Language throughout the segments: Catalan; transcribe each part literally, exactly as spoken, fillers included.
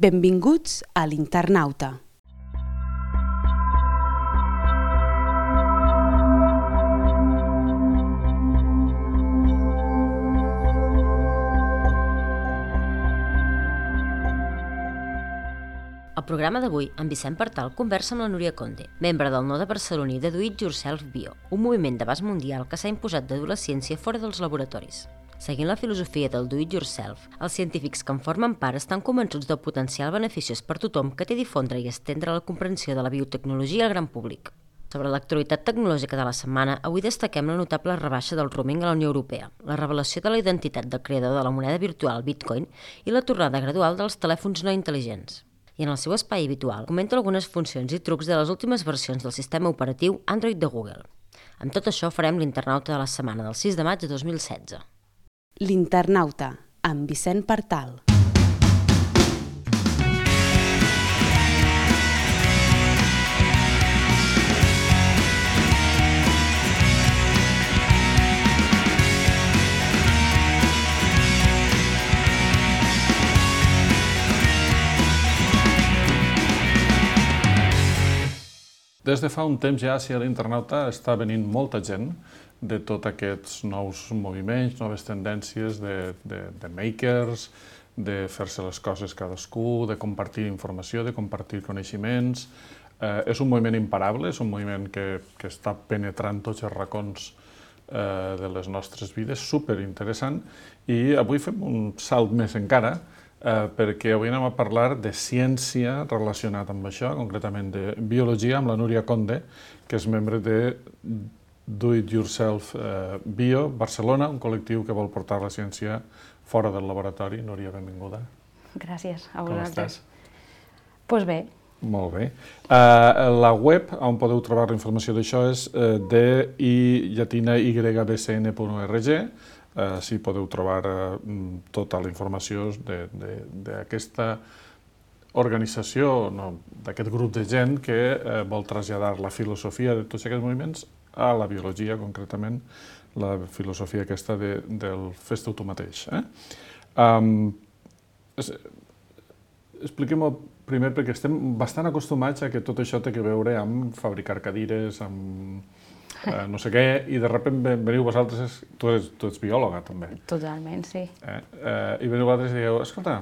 Benvinguts a l'Internauta. Al programa d'avui, en Vicent Partal conversa amb la Núria Conde, membre del node barceloní de Do It Yourself Bio, un moviment d'abast mundial que s'ha imposat de dur la ciència fora dels laboratoris. Seguint la filosofia del Do It Yourself, els científics que en formen part estan convençuts del potencial beneficiós per tothom que té difondre i estendre la comprensió de la biotecnologia al gran públic. Sobre l'actualitat tecnològica de la setmana, avui destaquem la notable rebaixa del roaming a la Unió Europea, la revelació de la identitat del creador de la moneda virtual Bitcoin i la tornada gradual dels telèfons no intel·ligents. I en el seu espai habitual comenta algunes funcions i trucs de les últimes versions del sistema operatiu Android de Google. Amb tot això farem l'Internauta de la setmana del sis de maig de dos mil setze. L'Internauta, amb Vicent Partal. Des de fa un temps ja, si a l'Internauta està venint molta gent de tots aquests nous moviments, noves tendències de, de, de makers, de fer-se les coses cadascú, de compartir informació, de compartir coneixements. Eh, és un moviment imparable, és un moviment que, que està penetrant tots els racons eh, de les nostres vides, superinteressant, i avui fem un salt més encara, Uh, perquè avui anem a parlar de ciència relacionada amb això, concretament de biologia, amb la Núria Conde, que és membre de Do It Yourself uh, Bio Barcelona, un col·lectiu que vol portar la ciència fora del laboratori. Núria, benvinguda. Gràcies, a Com vosaltres. estàs? Doncs bé. Molt bé. Uh, la web on podeu trobar la informació d'això és uh, d i llatina y b c n punt org. Uh, si podeu trobar uh, tota la informació d'aquesta organització, no, d'aquest grup de gent que uh, vol traslladar la filosofia de tots aquests moviments a la biologia, concretament la filosofia aquesta de, del fes-te tu mateix. Eh? Um, es, Expliquem-ho primer, perquè estem bastant acostumats a que tot això té a veure amb fabricar cadires, amb Uh, no sé què, i de sobte veniu vosaltres, tu, eres, tu ets biòloga també. Totalment, sí. Eh? Uh, I veniu vosaltres i dieu, escolta,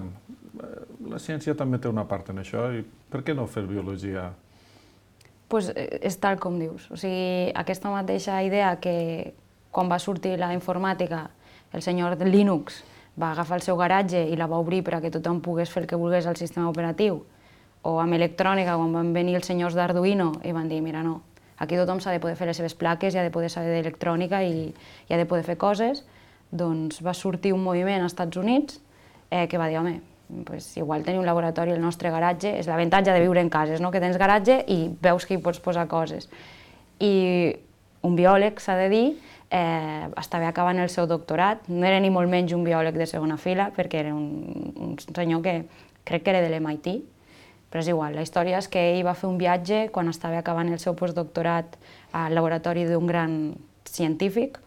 la ciència també té una part en això, i per què no fer biologia? Doncs pues és tal com dius, o sigui, aquesta mateixa idea que quan va sortir la informàtica, el senyor Linux va agafar el seu garatge i la va obrir perquè tothom pogués fer el que volgués al sistema operatiu, o amb electrònica, quan van venir els senyors d'Arduino i van dir, mira, no, aquí tothom s'ha de poder fer les seves plaques i ha de poder saber d'electrònica i, i ha de poder fer coses, doncs va sortir un moviment als Estats Units eh, que va dir, home, pues, igual tenir un laboratori al nostre garatge, és l'avantatge de viure en cases, no? Que tens garatge i veus que hi pots posar coses. I un biòleg, s'ha de dir, eh, estava acabant el seu doctorat, no era ni molt menys un biòleg de segona fila, perquè era un, un senyor que crec que era de l'M I T, però és igual, la història és que ell va fer un viatge quan estava acabant el seu postdoctorat al laboratori d'un gran científic,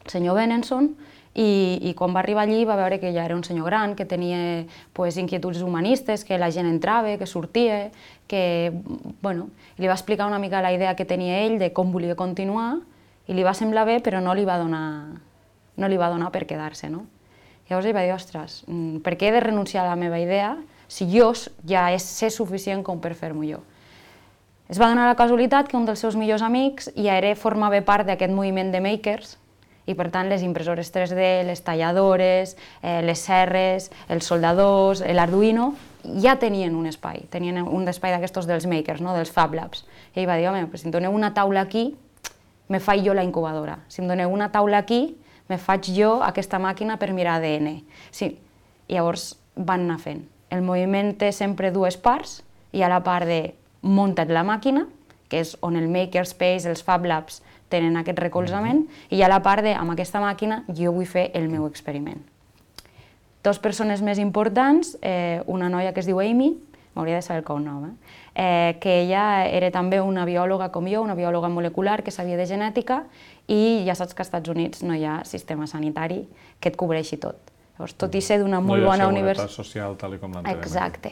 el senyor Benenson, i, i quan va arribar allí va veure que ja era un senyor gran, que tenia pues, inquietuds humanistes, que la gent entrava, que sortia, que, bueno, li va explicar una mica la idea que tenia ell de com volia continuar, i li va semblar bé, però no li va donar, no li va donar per quedar-se, no? Llavors ell va dir, ostres, per què he de renunciar a la meva idea si jo ja sé suficient com per fer-m'ho jo? Es va donar la casualitat que un dels seus millors amics ja era, formava part d'aquest moviment de makers i per tant les impressores tres D, les talladores, eh, les serres, els soldadors, l'Arduino, ja tenien un espai, tenien un espai d'aquestos dels makers, no? Dels Fab Labs. I ell va dir, home, pues, si em doneu una taula aquí, me faig jo la incubadora. Si em doneu una taula aquí, me faig jo aquesta màquina per mirar A D N. Sí. I llavors van anar fent. El moviment té sempre dues parts. Hi ha la part de munta't la màquina, que és on el makerspace, els Fab Labs tenen aquest recolzament, i hi ha la part de, amb aquesta màquina, jo vull fer el meu experiment. Dos persones més importants, eh, una noia que es diu Amy, m'hauria de saber el cognom, eh? Eh, que ella era també una biòloga com jo, una biòloga molecular que sabia de genètica, i ja saps que als Estats Units no hi ha sistema sanitari que et cobreixi tot. Llavors, tot i ser d'una molt bona universitat... No hi ha seguretat social tal com l'entenem. Exacte.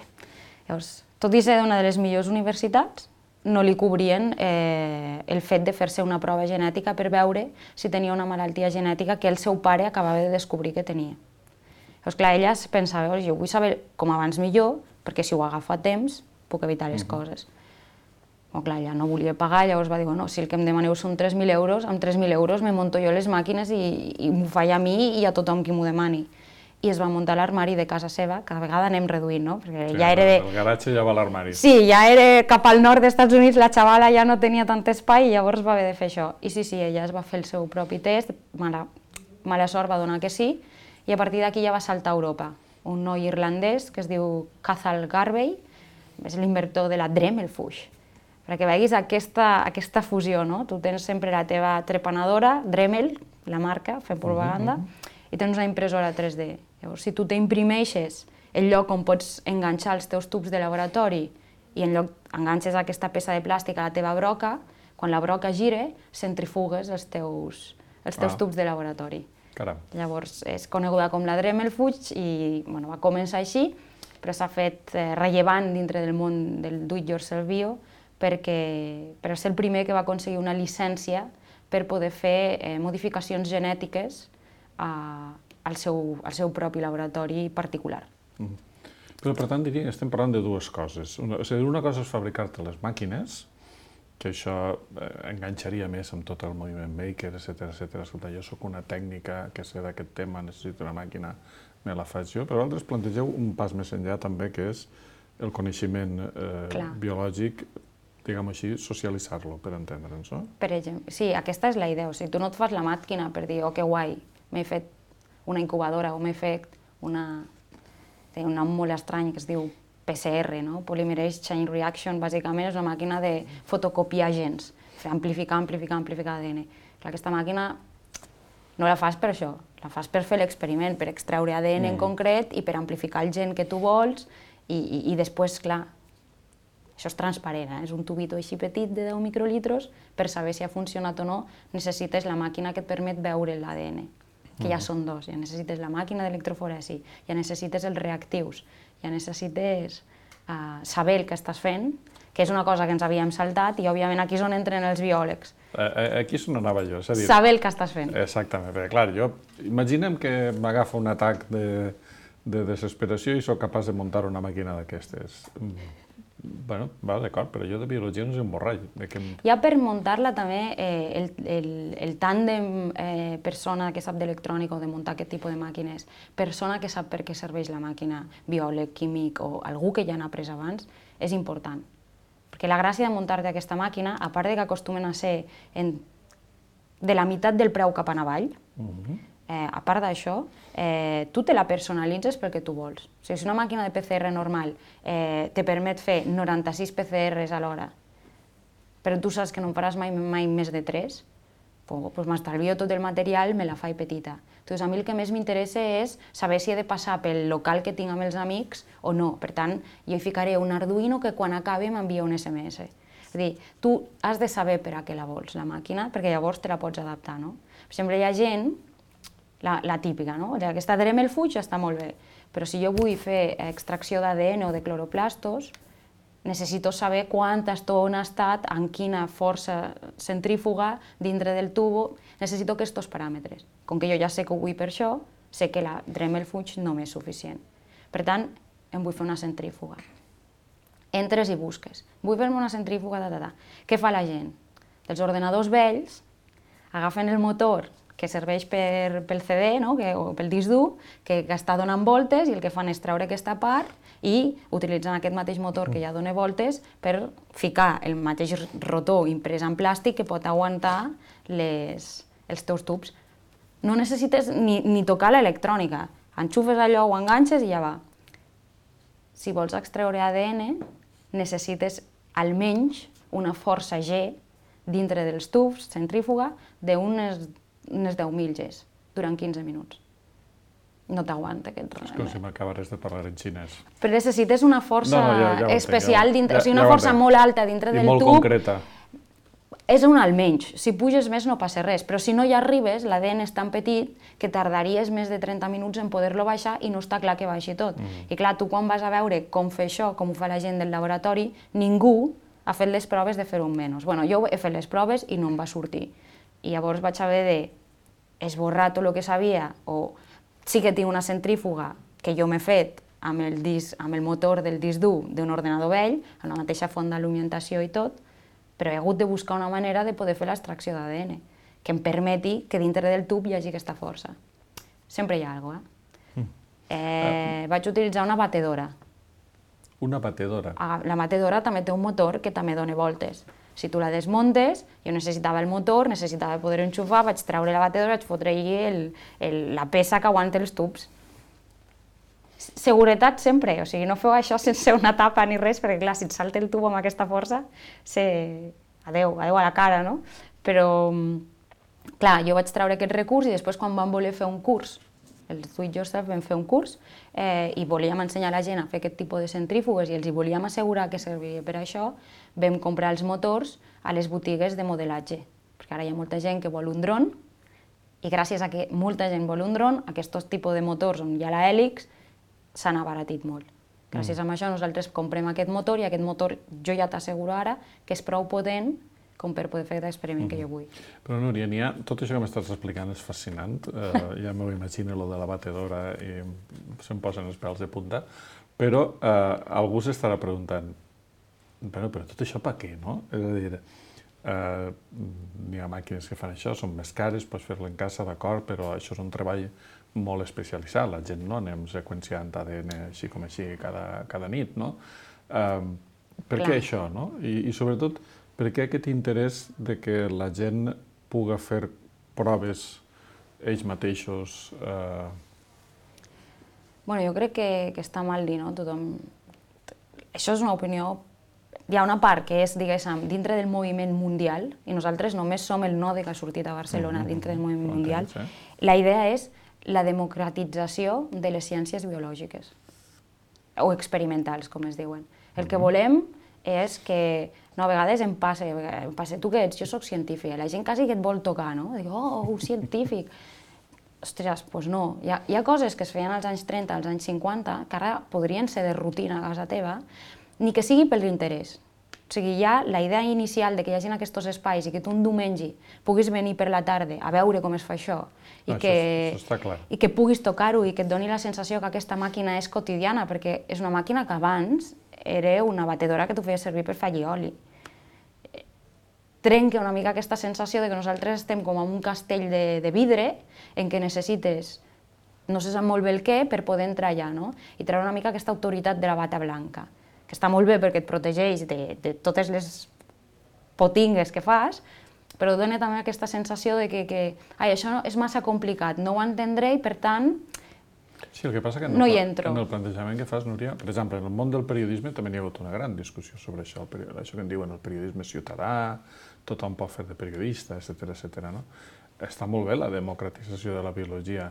Llavors, tot i ser una de les millors universitats, no li cobrien eh, el fet de fer-se una prova genètica per veure si tenia una malaltia genètica que el seu pare acabava de descobrir que tenia. Llavors, clar, ella pensava, jo vull saber com abans millor, perquè si ho agafo a temps, puc evitar les coses. Però clar, ella no volia pagar, llavors va dir, no, si el que em demaneu són tres mil euros, amb tres mil euros me monto jo les màquines i, i m'ho faig a mi i a tothom qui m'ho demani. I es va muntar l'armari de casa seva, cada vegada anem reduint, no? Perquè Sí, ja era de... El garatge ja va a l'armari. Sí, ja era cap al nord dels Estats Units, la xavala ja no tenia tant espai i llavors va haver de fer això. I sí, sí, ella es va fer el seu propi test, mala, mala sort va donar que sí, i a partir d'aquí ja va saltar a Europa. Un noi irlandès que es diu Cathal Garvey, és l'inventor de la Dremel Fuchs. Perquè veguis aquesta, aquesta fusió, no? Tu tens sempre la teva trepanadora, Dremel, la marca, fent propaganda, i tens una impressora tres D. Llavors, si tu t'imprimeixes el lloc on pots enganxar els teus tubs de laboratori i en lloc enganxes aquesta peça de plàstic a la teva broca, quan la broca gira, centrifugues els teus, els teus Ah. tubs de laboratori. Caram. Llavors, és coneguda com la Dremel Fuchs i bueno, va començar així, però s'ha fet eh, rellevant dintre del món del do-it-yourself bio perquè per ser el primer que va aconseguir una llicència per poder fer eh, modificacions genètiques a, al, seu, al seu propi laboratori particular. Mm. Però, per tant, diria que estem parlant de dues coses. Una, és a dir, una cosa és fabricar-te les màquines, que això eh, enganxaria més amb tot el moviment maker, etcètera, etcètera. Escolta, jo sóc una tècnica que sé d'aquest tema, necessito una màquina, me la faig jo. Però vosaltres plantegeu un pas més enllà també, que és el coneixement eh, biològic, diguem així, socialitzar-lo, per entendre'ns, no? Per exemple, sí, aquesta és la idea. O sigui, tu no et fas la màquina per dir, oh, que guai, m'he fet una incubadora o m'he fet una... Té un nom molt estrany que es diu P C R, no? Polymerase Chain Reaction, bàsicament és una màquina de fotocopiar gens, amplificar, amplificar, amplificar A D N. Clar, aquesta màquina no la fas per això, la fas per fer l'experiment, per extreure A D N en concret i per amplificar el gen que tu vols i, i, i després, clar, això és transparent, eh? És un tubito així petit de deu microlitros, per saber si ha funcionat o no necessites la màquina que et permet veure l'A D N, que ja són dos, ja necessites la màquina d'electroforesi, ja necessites els reactius, ja necessites uh, saber el que estàs fent, que és una cosa que ens havíem saltat i òbviament aquí és on entren els biòlegs. Aquí és on anava jo, és a dir... Saber el que estàs fent. Exactament, perquè clar, jo... Imaginem que m'agafa un atac de, de desesperació i sóc capaç de muntar una màquina d'aquestes. Bueno, va, d'acord, però jo de biologia no sé un borrall. Que... Ja per muntar-la també, eh, el, el, el tàndem eh, persona que sap d'electrònica o de muntar aquest tipus de màquines, persona que sap per què serveix la màquina, biòleg, químic o algú que ja n'ha après abans, és important. Perquè la gràcia de muntar-te aquesta màquina, a part de que acostumen a ser en, de la meitat del preu cap en avall, uh-huh. eh, a part d'això, eh, tu te la personalitzes pel que tu vols. O sigui, si una màquina de P C R normal eh, te permet fer noranta-sis P C Rs a l'hora, però tu saps que no en faràs mai, mai més de tres, pues, pues m'estalvio tot el material, me la faig petita. Doncs a mi el que més m'interessa és saber si he de passar pel local que tinc amb els amics o no. Per tant, jo hi ficaré un Arduino que quan acabi m'envia un S M S. És a dir, tu has de saber per a què la vols, la màquina, perquè llavors te la pots adaptar, no? Per exemple, hi ha gent, la, la típica, no? Aquesta Dremel Fuchs està molt bé, però si jo vull fer extracció d'A D N o de cloroplastos, necessito saber quanta estona ha estat, en quina força centrífuga dintre del tubo, necessito aquests paràmetres. Com que jo ja sé que ho vull per això, sé que la Dremel Fuchs no m'és suficient. Per tant, em vull fer una centrífuga. Entres i busques. Vull fer-me una centrífuga, da, da, da. Què fa la gent? Els ordenadors vells agafen el motor que serveix per, pel C D, no? que, o pel disc dur, que, que està donant voltes i el que fan és treure aquesta part i utilitzen aquest mateix motor que ja dona voltes per ficar el mateix rotor imprès en plàstic que pot aguantar les, els teus tubs. No necessites ni, ni tocar l'electrònica, enxufes allò, ho enganxes i ja va. Si vols extreure A D N, necessites almenys una força G dintre dels tubs, centrífuga, d'unes unes deu mil Gs durant quinze minuts. No t'aguanta aquest res. És com si m'acabares de parlar en xinès. Però necessites una força no, no, ja, ja especial, entenc, dintre, ja, o sigui, una ja força molt alta dintre I del molt tub. concreta. és un almenys, si puges més no passa res, però si no hi arribes, l'A D N és tan petit que tardaries més de trenta minuts en poder-lo baixar i no està clar que baixi tot. Mm. I clar, tu quan vas a veure com fer això, com ho fa la gent del laboratori, ningú ha fet les proves de fer-ho menys. Bueno, jo he fet les proves i no em va sortir. I llavors vaig haver d'esborrar tot el que sabia, o sí que tinc una centrífuga que jo m'he fet amb el, disc, amb el motor del disc dur d'un ordenador vell, amb la mateixa font d'alimentació i tot, però he hagut de buscar una manera de poder fer l'extracció d'A D N que em permeti que dintre del tub hi hagi aquesta força. Sempre hi ha alguna cosa, eh? Mm. eh uh, vaig utilitzar una batedora. Una batedora? La batedora també té un motor que també dona voltes. Si tu la desmuntes, jo necessitava el motor, necessitava poder enxufar, vaig treure la batedora, vaig fotre-hi el, el, la peça que aguanta els tubs. Seguretat sempre, o sigui, no feu això sense una tapa ni res, perquè clar, si et salta el tub amb aquesta força, se... adeu, adeu a la cara, no? Però, clar, jo vaig treure aquest recurs i després quan vam voler fer un curs, el Do It Yourself vam fer un curs eh, i volíem ensenyar a la gent a fer aquest tipus de centrífugues i els hi volíem assegurar que serviria per això, vam comprar els motors a les botigues de modelatge, perquè ara hi ha molta gent que vol un dron i gràcies a que molta gent vol un dron, aquests tipus de motors on hi ha la hèlix s'han abaratit molt. Gràcies mm. a això nosaltres comprem aquest motor i aquest motor jo ja t'asseguro ara que és prou potent com per poder fer l'experiment mm. que jo vull. Però Núria, n'hi ha... tot això que m'estàs explicant és fascinant, eh, ja m'ho imagino, lo de la batedora, i se'm posen els pèls de punta, però eh, algú s'estarà preguntant, però, però tot això per què, no? És a dir, eh, n'hi ha màquines que fan això, són més cares, pots fer-lo en casa, d'acord, però això és un treball molt especialitzat, la gent no anem seqüenciant A D N així com així cada, cada nit, no? Eh, per Clar. Què això, no? I, i sobretot, per què aquest interès de que la gent pugui fer proves ells mateixos? Eh... Bueno, jo crec que, que està mal dir, no? Tothom... Això és una opinió... Hi ha una part que és, diguéssim, dintre del moviment mundial, i nosaltres només som el node que ha sortit a Barcelona mm-hmm. dintre del moviment mundial. Eh? La idea és la democratització de les ciències biològiques, o experimentals, com es diuen. El que volem és que, no, a vegades em passa, em passa, tu què ets? Jo soc científica, la gent quasi que et vol tocar, no? Dic, oh, un científic. Ostres, doncs no. Hi ha, hi ha coses que es feien als anys trenta, als anys cinquanta, que ara podrien ser de rutina a casa teva, ni que sigui per l'interès. O sigui, ja la idea inicial de que hi hagi aquests espais i que tu un diumenge puguis venir per la tarda a veure com es fa això, i, no, que, això, això està clar. i que puguis tocar-ho i que et doni la sensació que aquesta màquina és quotidiana, perquè és una màquina que abans era una batedora que tu feies servir per fer oli. Trenca una mica aquesta sensació de que nosaltres estem com en un castell de, de vidre en què necessites, no se sap molt bé el què, per poder entrar allà, no? I treure una mica aquesta autoritat de la bata blanca, que està molt bé perquè et protegeix de, de totes les potingues que fas, però dona també aquesta sensació de que, que ai, això no, és massa complicat, no ho entendré i per tant Sí, el que passa que en, no el, en el plantejament que fas, Núria, per exemple, en el món del periodisme també hi ha hagut una gran discussió sobre això, el, això que en diuen el periodisme ciutadà, tothom pot fer de periodista, etcètera, etcètera, no? Està molt bé la democratització de la biologia,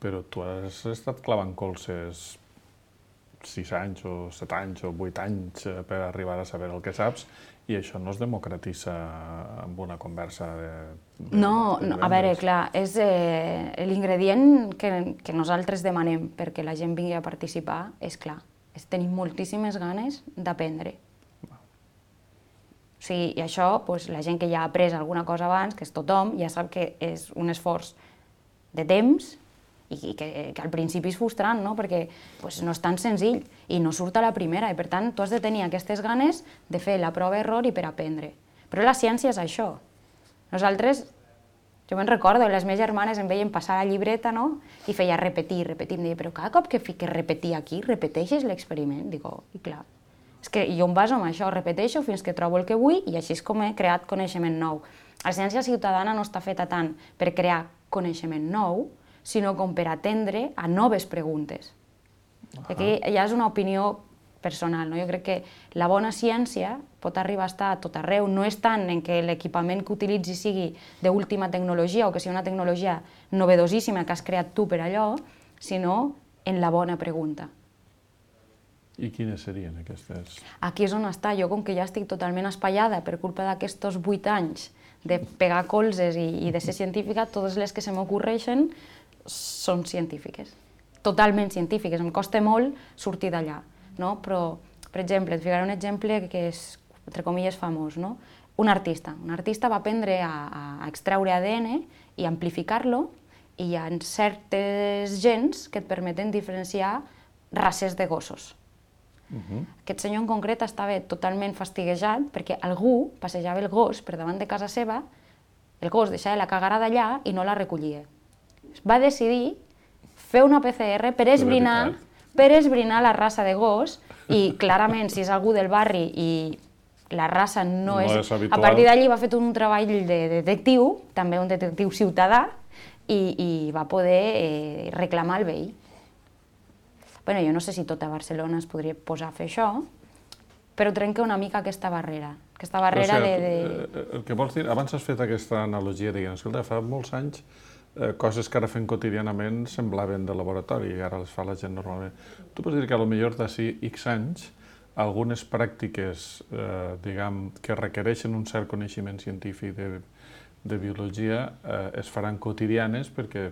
però tu has estat clavant colzes sis anys o set anys o vuit anys per arribar a saber el que saps i això no es democratitza amb una conversa de... de no, de no, a veure, clar, és eh, l'ingredient que, que nosaltres demanem perquè la gent vingui a participar, és clar, és tenir moltíssimes ganes d'aprendre. O sigui, i això, doncs, la gent que ja ha après alguna cosa abans, que és tothom, ja sap que és un esforç de temps i que, que al principi és frustrant, no? Perquè pues, no és tan senzill i no surt a la primera i per tant tu has de tenir aquestes ganes de fer la prova-error i per aprendre. Però la ciència és això. Nosaltres, jo me'n recordo, les meves germanes em veien passar la llibreta, no? I feia repetir, repetir, em deia, però cada cop que fiques repetir aquí, repeteixes l'experiment? Dic, oh, i clar. És que jo em baso en això, repeteixo fins que trobo el que vull i així és com he creat coneixement nou. La ciència ciutadana no està feta tant per crear coneixement nou, sinó com per atendre a noves preguntes. Aquí ja és una opinió personal, no? Jo crec que la bona ciència pot arribar a estar a tot arreu, no és tant en què l'equipament que utilitzi sigui d'última tecnologia o que sigui una tecnologia novedosíssima que has creat tu per allò, sinó en la bona pregunta. I quines serien aquestes? Aquí és on està. Jo, com que ja estic totalment espaiada per culpa d'aquests vuit anys de pegar colzes i, i de ser científica, totes les que se m'ocorreixen són científiques. Totalment científiques. Em costa molt sortir d'allà, no? Però, per exemple, et ficaré un exemple que és, entre comilles, famós, no? Un artista. Un artista va aprendre a, a extreure A D N i amplificar-lo, i hi ha certes gens que et permeten diferenciar races de gossos. Uh-huh. Aquest senyor en concret estava totalment fastiguejat perquè algú passejava el gos per davant de casa seva, el gos deixava la cagarada allà i no la recollia. Va decidir fer una P C R per esbrinar, per esbrinar la raça de gos, i clarament si és algú del barri i la raça no, no és, és habitual. A partir d'allí va fer un treball de detectiu, també un detectiu ciutadà, i, i va poder eh, reclamar el veí. Bueno, jo no sé si tota Barcelona es podria posar a fer això, però trenca una mica aquesta barrera. Aquesta barrera però, o sigui, de, de... El que vols dir, abans has fet aquesta analogia, diguem, escolta, fa molts anys eh, coses que ara fem quotidianament semblaven de laboratori i ara les fa la gent normalment. Tu pots dir que potser d'ací X anys algunes pràctiques, eh, diguem, que requereixen un cert coneixement científic de, de biologia eh, es faran quotidianes perquè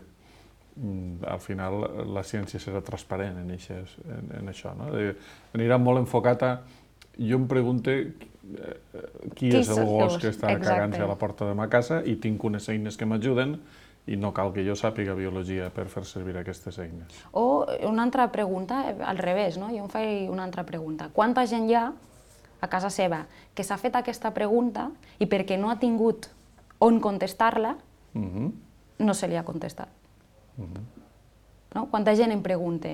al final la ciència serà transparent en, eixes, en, en això. No? Anirà molt enfocat a... Jo em pregunto eh, qui, qui és el gos que està cagant-se a la porta de ma casa i tinc unes eines que m'ajuden i no cal que jo sàpiga biologia per fer servir aquestes eines. O una altra pregunta, al revés, no? Jo em faig una altra pregunta. Quanta gent hi ha a casa seva que s'ha fet aquesta pregunta i perquè no ha tingut on contestar-la, uh-huh. no se li ha contestat? Uh-huh. No? Quanta gent em pregunta,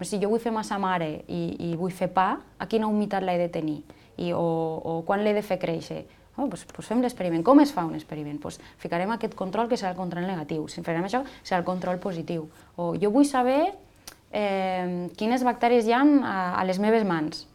si jo vull fer massa mare i, i vull fer pa, a quina humitat l'he de tenir? I, o, o quan l'he de fer créixer? Oh, doncs, doncs fem l'experiment. Com es fa un experiment? Doncs ficarem aquest control que serà el control negatiu. Si farem això, serà el control positiu. O jo vull saber eh, quines bactèries hi ha a, a les meves mans.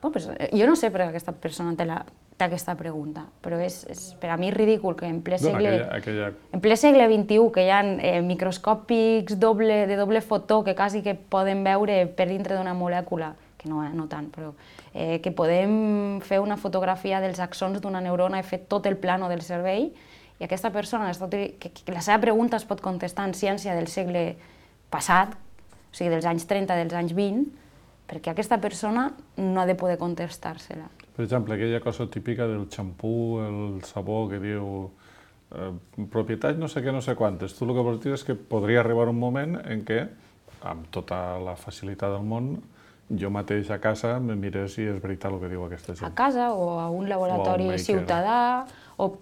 Oh, doncs, jo no sé per què aquesta persona té la... aquesta pregunta, però és, és per a mi ridícul que en ple segle, no, aquella, aquella... en ple segle vint-i-u, que hi ha eh, microscòpics doble, de doble fotó que quasi que poden veure per dintre d'una molècula, que no, no tant, però eh, que podem fer una fotografia dels axons d'una neurona i fer tot el plano del cervell, i aquesta persona, que, que la seva pregunta es pot contestar en ciència del segle passat, o sigui, dels anys trenta, dels anys vint, perquè aquesta persona no ha de poder contestar-se-la. Per exemple, aquella cosa típica del xampú, el sabó que diu eh, propietats no sé què, no sé quantes. Tu el que vols dir és que podria arribar un moment en què, amb tota la facilitat del món, jo mateix a casa me miré si és veritat el que diu aquesta gent. A casa o a un laboratori ciutadà. O...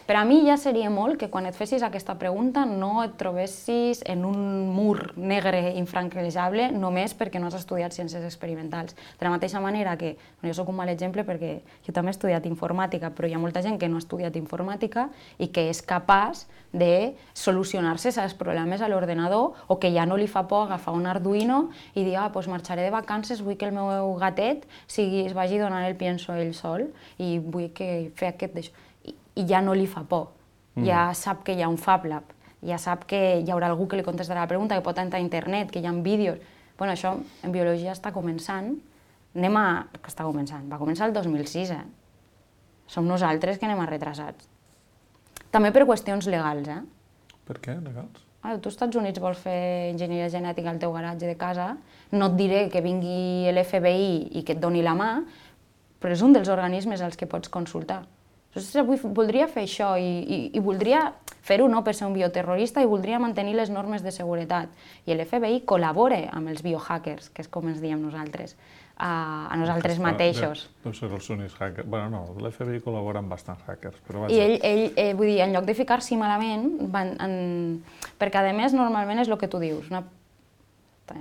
Per a mi ja seria molt que quan et fessis aquesta pregunta no et trobessis en un mur negre infranquejable només perquè no has estudiat ciències experimentals. De la mateixa manera que, jo soc un mal exemple perquè jo també he estudiat informàtica, però hi ha molta gent que no ha estudiat informàtica i que és capaç de solucionar-se els problemes a l'ordenador o que ja no li fa por agafar un Arduino i dir, ah, doncs marxaré de vacances, vull que el meu gatet sigui, es vagi donant el pienso ell sol i vull que fer aquest d'això. I ja no li fa por, ja sap que hi ha un Fab Lab, ja sap que hi haurà algú que li contestarà la pregunta, que pot entrar a internet, que hi ha vídeos. Bueno, això en biologia està començant, anem a... que està començant, va començar el dos mil sis, eh? Som nosaltres que anem a retrasats. També per qüestions legals, eh? Per què, legals? Ah, tu als Estats Units vols fer enginyeria genètica al teu garatge de casa, no et diré que vingui l'F B I i que et doni la mà, però és un dels organismes als que pots consultar. Voldria fer això i, i, i voldria fer-ho no per ser un bioterrorista i voldria mantenir les normes de seguretat. I l'F B I col·labora amb els biohackers, que és com ens diem nosaltres, a, a nosaltres mateixos. Deu ser els únics hackers. Bueno, no, l'F B I col·labora amb bastants hackers, però vaja. I ell, ell eh, vull dir, en lloc de ficar-s'hi malament, van, en... perquè a més normalment és el que tu dius, una...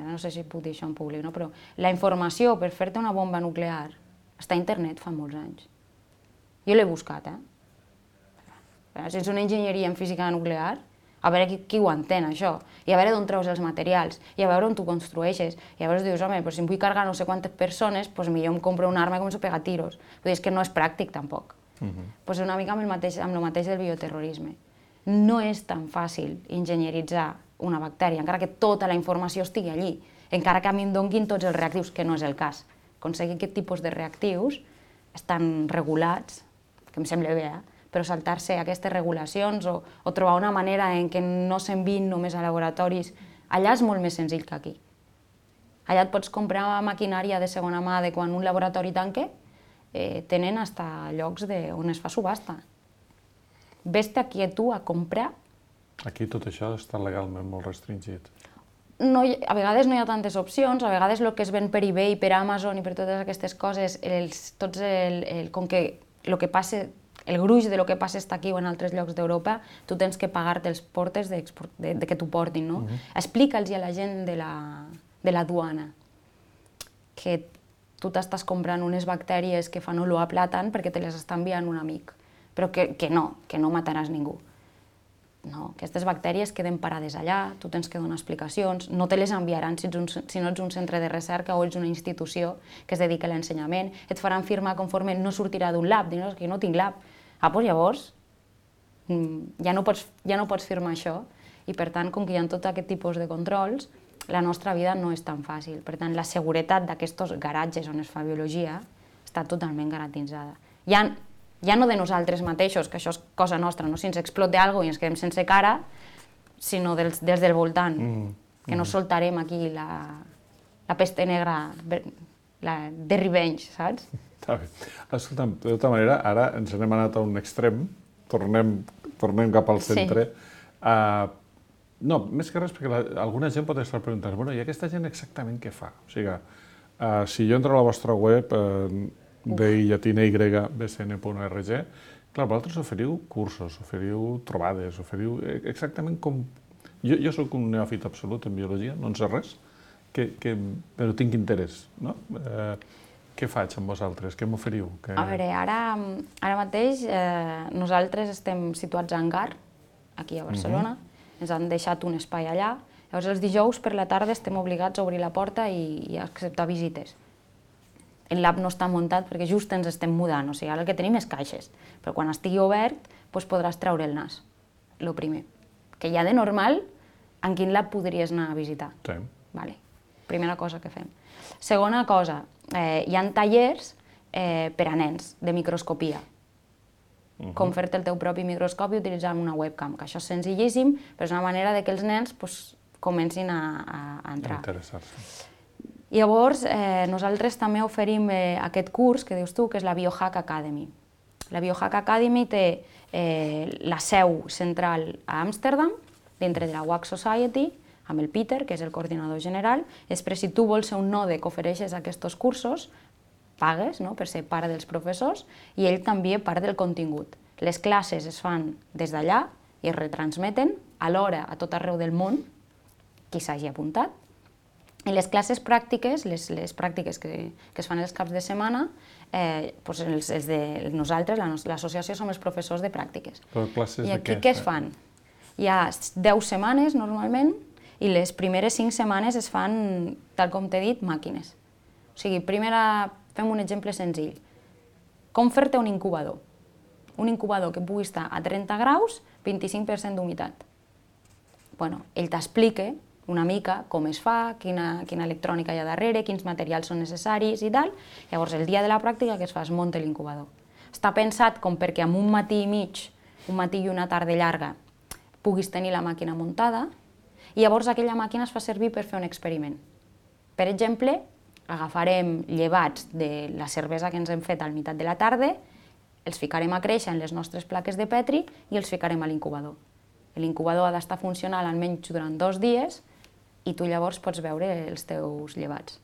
no sé si puc dir això en públic, no? Però la informació per fer-te una bomba nuclear està a internet fa molts anys. Jo l'he buscat, eh? Si ets una enginyeria en física nuclear, a veure qui, qui ho entén, això, i a veure d'on treus els materials, i a veure on tu construeixes, i llavors dius, home, però si em vull carregar no sé quantes persones, doncs millor em compro una arma i començo a pegar tiros. Vull dir, és que no és pràctic, tampoc. Doncs és una mica amb el mateix, amb el mateix del bioterrorisme. No és tan fàcil enginyeritzar una bactèria, encara que tota la informació estigui allí, encara que a mi em donguin tots els reactius, que no és el cas. Aconseguir aquest tipus de reactius estan regulats, que em sembla bé, eh? Però saltar-se aquestes regulacions o, o trobar una manera en què no s'enviïn només a laboratoris, allà és molt més senzill que aquí. Allà et pots comprar maquinària de segona mà de quan un laboratori tanque, eh, tenen fins llocs de, on es fa subhasta. Ves-te aquí a tu a comprar. Aquí tot això està legalment molt restringit. No, a vegades no hi ha tantes opcions, a vegades el que es ven per eBay, per Amazon i per totes aquestes coses, els, tots el, el, com que el que passa, el gruix de lo que passa està aquí o en altres llocs d'Europa, tu tens que pagar-te els portes de, de, de que t'ho portin, no? Uh-huh. Explica'ls a la gent de la, de la duana que tu t'estàs comprant unes bactèries que fan olor a plàtan perquè te les està enviant un amic, però que, que no, que no mataràs ningú. No, aquestes bactèries queden parades allà, tu tens que donar explicacions, no te les enviaran si, ets un, si no ets un centre de recerca o ets una institució que es dedica a l'ensenyament, et faran firmar conforme no sortirà d'un lab, dius que no tinc lab. Ah, doncs llavors ja no, pots, ja no pots firmar això i per tant, com que hi ha tot aquest tipus de controls, la nostra vida no és tan fàcil. Per tant, la seguretat d'aquests garatges on es fa biologia està totalment garantitzada. Ja Ja no de nosaltres mateixos, que això és cosa nostra, no? Si ens explota alguna cosa i ens quedem sense cara, sinó dels, dels del voltant, mm, que mm. no soltarem aquí la, la peste negra la, de revenge, saps? Està bé. Escolta'm, de tota manera, ara ens n'hem anat a un extrem, tornem, tornem cap al centre. Sí. Uh, no, més que res, perquè la, alguna gent pot estar preguntant, bueno, i aquesta gent exactament què fa? O sigui, uh, si jo entro a la vostra web, uh, de llatina y b c n punt org, clar, vosaltres oferiu cursos, oferiu trobades, oferiu exactament com... Jo, jo soc un neòfit absolut en biologia, no en sé res, que, que, però tinc interès, no? Eh, què faig amb vosaltres? Què m'oferiu? Que... A veure, ara, ara mateix eh, nosaltres estem situats a Hangar, aquí a Barcelona, uh-huh. Ens han deixat un espai allà, llavors els dijous per la tarda estem obligats a obrir la porta i, i a acceptar visites. El lab no està muntat perquè just ens estem mudant, o sigui, ara el que tenim és caixes, però quan estigui obert doncs podràs treure el nas, el primer. Que ja de normal, en quin lab podries anar a visitar? Sí. Vale. Primera cosa que fem. Segona cosa, eh, hi ha tallers eh, per a nens de microscopia. Uh-huh. Com fer-te el teu propi microscopi utilitzant una webcam, que això és senzillíssim, però és una manera de que els nens pues, comencin a, a entrar. Interessar-se. Llavors, eh, nosaltres també oferim eh, aquest curs que dius tu, que és la Biohack Academy. La Biohack Academy té eh, la seu central a Amsterdam, dintre de la W A C Society, amb el Peter, que és el coordinador general. Després, si tu vols ser un node que ofereixes aquests cursos, pagues, no?, per ser part dels professors, i ell també part del contingut. Les classes es fan des d'allà i es retransmeten alhora a tot arreu del món, qui s'hagi apuntat. I les classes pràctiques, les, les pràctiques que, que es fan els caps de setmana, eh, doncs els, els de nosaltres, l'associació, som els professors de pràctiques. Però classes I aquí de què? què es fan? Hi ha deu setmanes normalment i les primeres cinc setmanes es fan, tal com t'he dit, màquines. O sigui, primera, fem un exemple senzill. Com fer-te un incubador? Un incubador que pugui estar a trenta graus, vint-i-cinc per cent d'humitat. Bueno, ell t'explica una mica com es fa, quina, quina electrònica hi ha darrere, quins materials són necessaris i tal. Llavors, el dia de la pràctica, què es fa? Es munta l'incubador. Està pensat com perquè amb un matí i mig, un matí i una tarda llarga, puguis tenir la màquina muntada, i llavors aquella màquina es fa servir per fer un experiment. Per exemple, agafarem llevats de la cervesa que ens hem fet al meitat de la tarda, els ficarem a créixer en les nostres plaques de Petri i els ficarem a l'incubador. L'incubador ha d'estar funcional almenys durant dos dies, i tu llavors pots veure els teus llevats.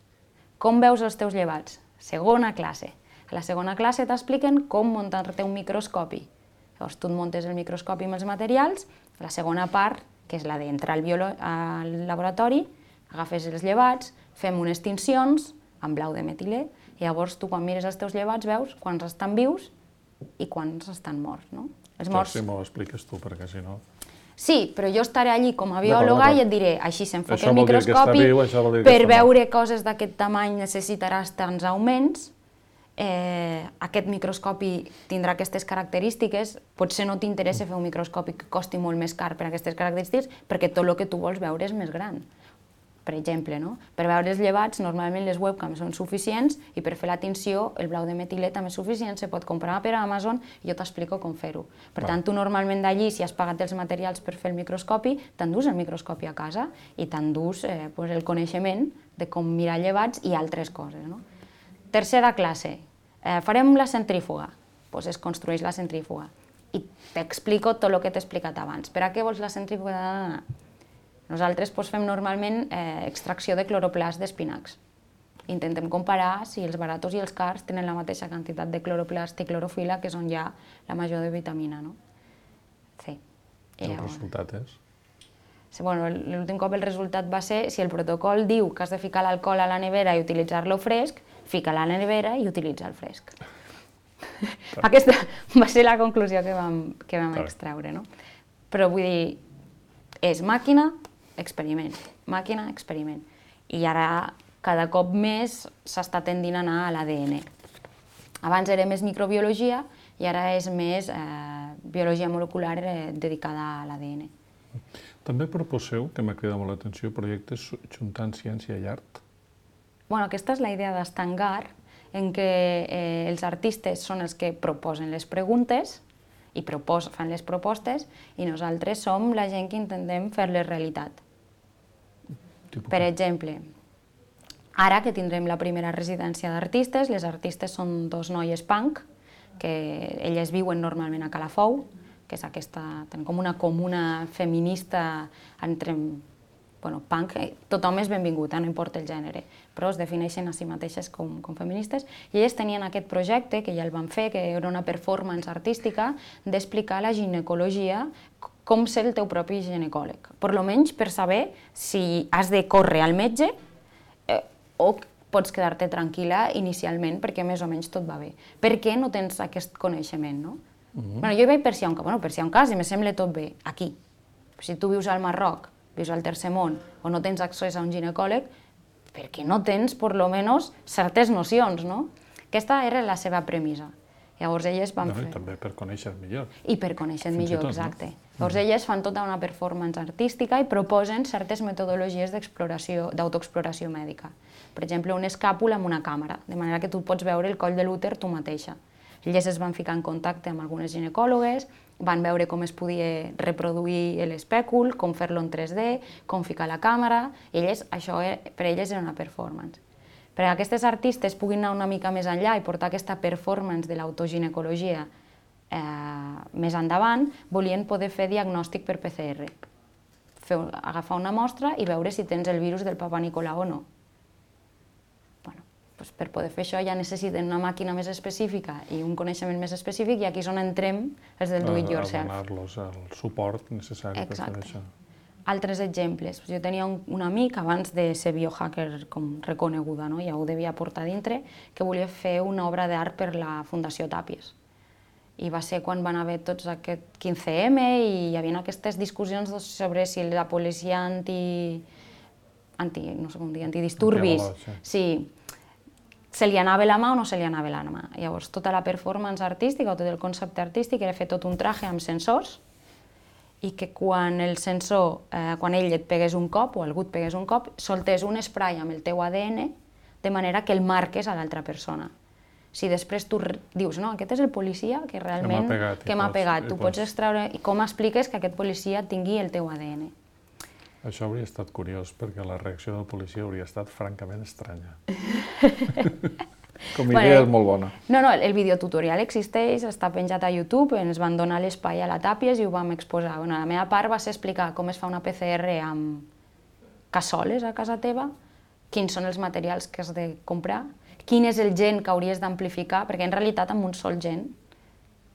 Com veus els teus llevats? Segona classe. A la segona classe t'expliquen com muntar-te un microscopi. Llavors tu et muntes el microscopi amb els materials, la segona part, que és la d'entrar al, al laboratori, agafes els llevats, fem unes tincions amb blau de metilè, i llavors tu quan mires els teus llevats veus quants estan vius i quants estan morts, no? Els morts... Si m'ho expliques tu, perquè si no... Sí, però jo estaré allí com a biòloga i et diré, així s'enfoca el microscopi, viu, per veure coses d'aquest tamany necessitaràs tants augments, eh, aquest microscopi tindrà aquestes característiques, potser no t'interessa fer un microscopi que costi molt més car per aquestes característiques, perquè tot el que tu vols veure és més gran. Per exemple, no? Per veure els llevats, normalment les webcams són suficients i per fer la tinció, el blau de metilè també és suficient, se pot comprar per Amazon i jo t'explico com fer-ho. Per tant, tu normalment d'allí, si has pagat els materials per fer el microscopi, t'endús el microscopi a casa i t'endús eh, pues, el coneixement de com mirar llevats i altres coses. No? Tercera classe, eh, farem la centrífuga, pues es construeix la centrífuga i t'explico tot el que t'he explicat abans. Per a què vols la centrífuga? Nosaltres pues, fem normalment eh, extracció de cloroplast d'espinacs. Intentem comparar si els baratos i els cars tenen la mateixa quantitat de cloroplast i clorofila, que és on hi ha la major de vitamina. No? Sí. I el resultat és? Bueno, l'últim cop el resultat va ser, si el protocol diu que has de ficar l'alcohol a la nevera i utilitzar-lo fresc, fica-la a la nevera i utilitza el fresc. Aquesta va ser la conclusió que vam, que vam extreure. No? Però vull dir, és màquina, experiment, màquina, experiment. I ara cada cop més s'està tendint a anar a l'A D N. Abans era més microbiologia i ara és més eh, biologia molecular eh, dedicada a l'A D N. També proposeu, que m'ha cridat molt l'atenció, projectes juntant ciència i art? Bueno, aquesta és la idea d'Estangar, en què eh, els artistes són els que proposen les preguntes i propos, fan les propostes i nosaltres som la gent que intentem fer-les realitat. Per exemple, ara que tindrem la primera residència d'artistes, les artistes són dos noies punk, que elles viuen normalment a Calafou, que és aquesta, tenen com una comuna feminista entre, bueno, punk, tothom és benvingut, no importa el gènere, però es defineixen a si mateixes com, com feministes, i elles tenien aquest projecte, que ja el van fer, que era una performance artística, d'explicar la ginecologia, com ser el teu propi ginecòleg, per almenys per saber si has de córrer al metge eh, o pots quedar-te tranquil·la inicialment perquè més o menys tot va bé. Per què no tens aquest coneixement, no? Uh-huh. Bueno, jo hi vaig per si hi ha un cas, bueno, per si hi ha un cas i me sembla tot bé, aquí. Si tu vius al Marroc, vius al Tercer Món, o no tens accés a un ginecòleg, perquè no tens, per lo menos, certes nocions, no? Aquesta era la seva premissa. Llavors elles van no, fer... I també per conèixer millor. I per conèixer Fins millor, tot, exacte. No? Llavors elles fan tota una performance artística i proposen certes metodologies d'autoexploració mèdica. Per exemple, un escàpul amb una càmera, de manera que tu pots veure el coll de l'úter tu mateixa. Elles es van ficar en contacte amb algunes ginecòlogues, van veure com es podia reproduir l'espècul, com fer-lo en tres D, com ficar la càmera, i elles, això per elles era una performance. Perquè aquestes artistes puguin anar una mica més enllà i portar aquesta performance de l'autoginecologia eh, més endavant, volien poder fer diagnòstic per P C R. Fer, agafar una mostra i veure si tens el virus del Papa Nicolau o no. Bueno, doncs per poder fer això ja necessiten una màquina més específica i un coneixement més específic, i aquí és on entrem els del do it yourself. A donar-los el suport necessari per fer això. Altres exemples. Jo tenia un, un amic, abans de ser biohacker com reconeguda, no? Ja ho devia portar dintre, que volia fer una obra d'art per la Fundació Tàpies. I va ser quan van haver tots aquest quinze eme i hi havia aquestes discussions sobre si la policia anti... anti no sé com dir, antidisturbis... Sí, se li anava la mà o no se li anava la mà. Llavors, tota la performance artística o tot el concepte artístic era fer tot un traje amb sensors i que quan el sensor, eh, quan ell et pegués un cop o algú et pegués un cop, soltés un spray amb el teu A D N de manera que el marques a l'altra persona. Si després tu dius, no, aquest és el policia que realment que m'ha pegat, tu pots extraure... I com expliques que aquest policia tingui el teu A D N? Això hauria estat curiós, perquè la reacció del policia hauria estat francament estranya. Com a idea és molt bona. No, no, el videotutorial existeix, està penjat a YouTube, ens van donar l'espai a la Tàpies i ho vam exposar. Bueno, la meva part va ser explicar com es fa una P C R amb cassoles a casa teva, quins són els materials que has de comprar, quin és el gen que hauries d'amplificar, perquè en realitat amb un sol gen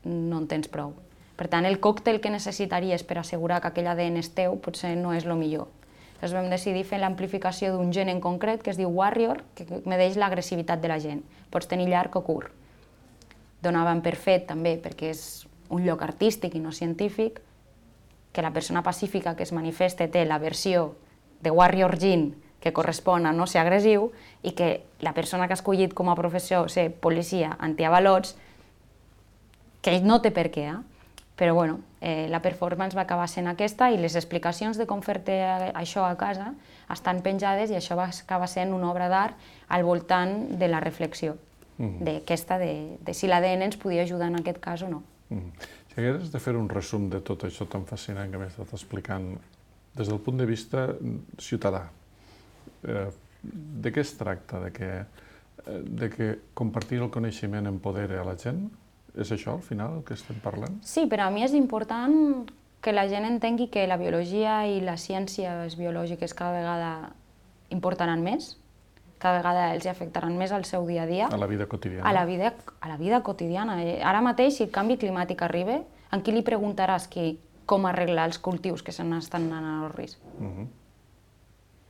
no en tens prou. Per tant, el còctel que necessitaries per assegurar que aquell A D N és teu potser no és el millor. Llavors vam decidir fer l'amplificació d'un gen en concret que es diu Warrior, que medeix l'agressivitat de la gent. Pots tenir llarg o curt. Donàvem per fet també, perquè és un lloc artístic i no científic, que la persona pacífica que es manifesta té la versió de Warrior Gene que correspon a no ser agressiu i que la persona que ha escollit com a professió ser policia antiavalots, que ell no té per què, eh? Però bueno, eh, la performance va acabar sent aquesta i les explicacions de com fer-te això a casa estan penjades i això va acabar sent una obra d'art al voltant de la reflexió mm. d'aquesta, de, de si l'A D N ens podia ajudar en aquest cas o no. Mm. Si hagués de fer un resum de tot això tan fascinant que m'he estat explicant des del punt de vista ciutadà, eh, de què es tracta? De que, de que compartir el coneixement empodera a la gent? És això, al final, el que estem parlant? Sí, per a mi és important que la gent entengui que la biologia i les ciències biològiques cada vegada importaran més, cada vegada els afectaran més al seu dia a dia. A la vida quotidiana. A la vida, a la vida quotidiana. Ara mateix, si el canvi climàtic arriba, a qui li preguntaràs qui, com arreglar els cultius que se n'estan anant al risc? Uh -huh.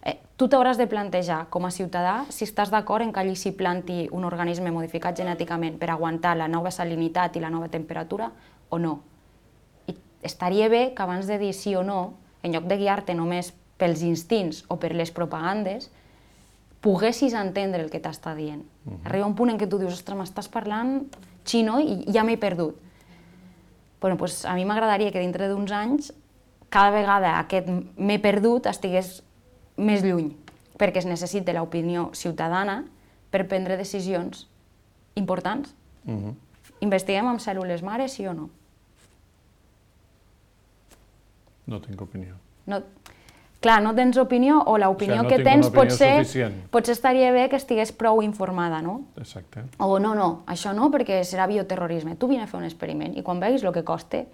Eh, tu t'hauràs de plantejar, com a ciutadà, si estàs d'acord en que allí s'hi planti un organisme modificat genèticament per aguantar la nova salinitat i la nova temperatura o no. I estaria bé que abans de dir sí o no, en lloc de guiar-te només pels instints o per les propagandes, poguessis entendre el que t'està dient. Uh -huh. Arriba un punt en què tu dius, ostres, m'estàs parlant xino i ja m'he perdut. Bueno, doncs a mi m'agradaria que dintre d'uns anys cada vegada aquest m'he perdut estigués més lluny, perquè es necessita l'opinió ciutadana per prendre decisions importants. Uh-huh. Investiguem amb cèl·lules mares, sí o no? No tinc opinió. No, clar, no tens opinió o l'opinió o sigui, no que tens potser, suficient. potser estaria bé que estigués prou informada, no? Exacte. O no, no, això no, perquè serà bioterrorisme. Tu vine a fer un experiment i quan veguis el que costa,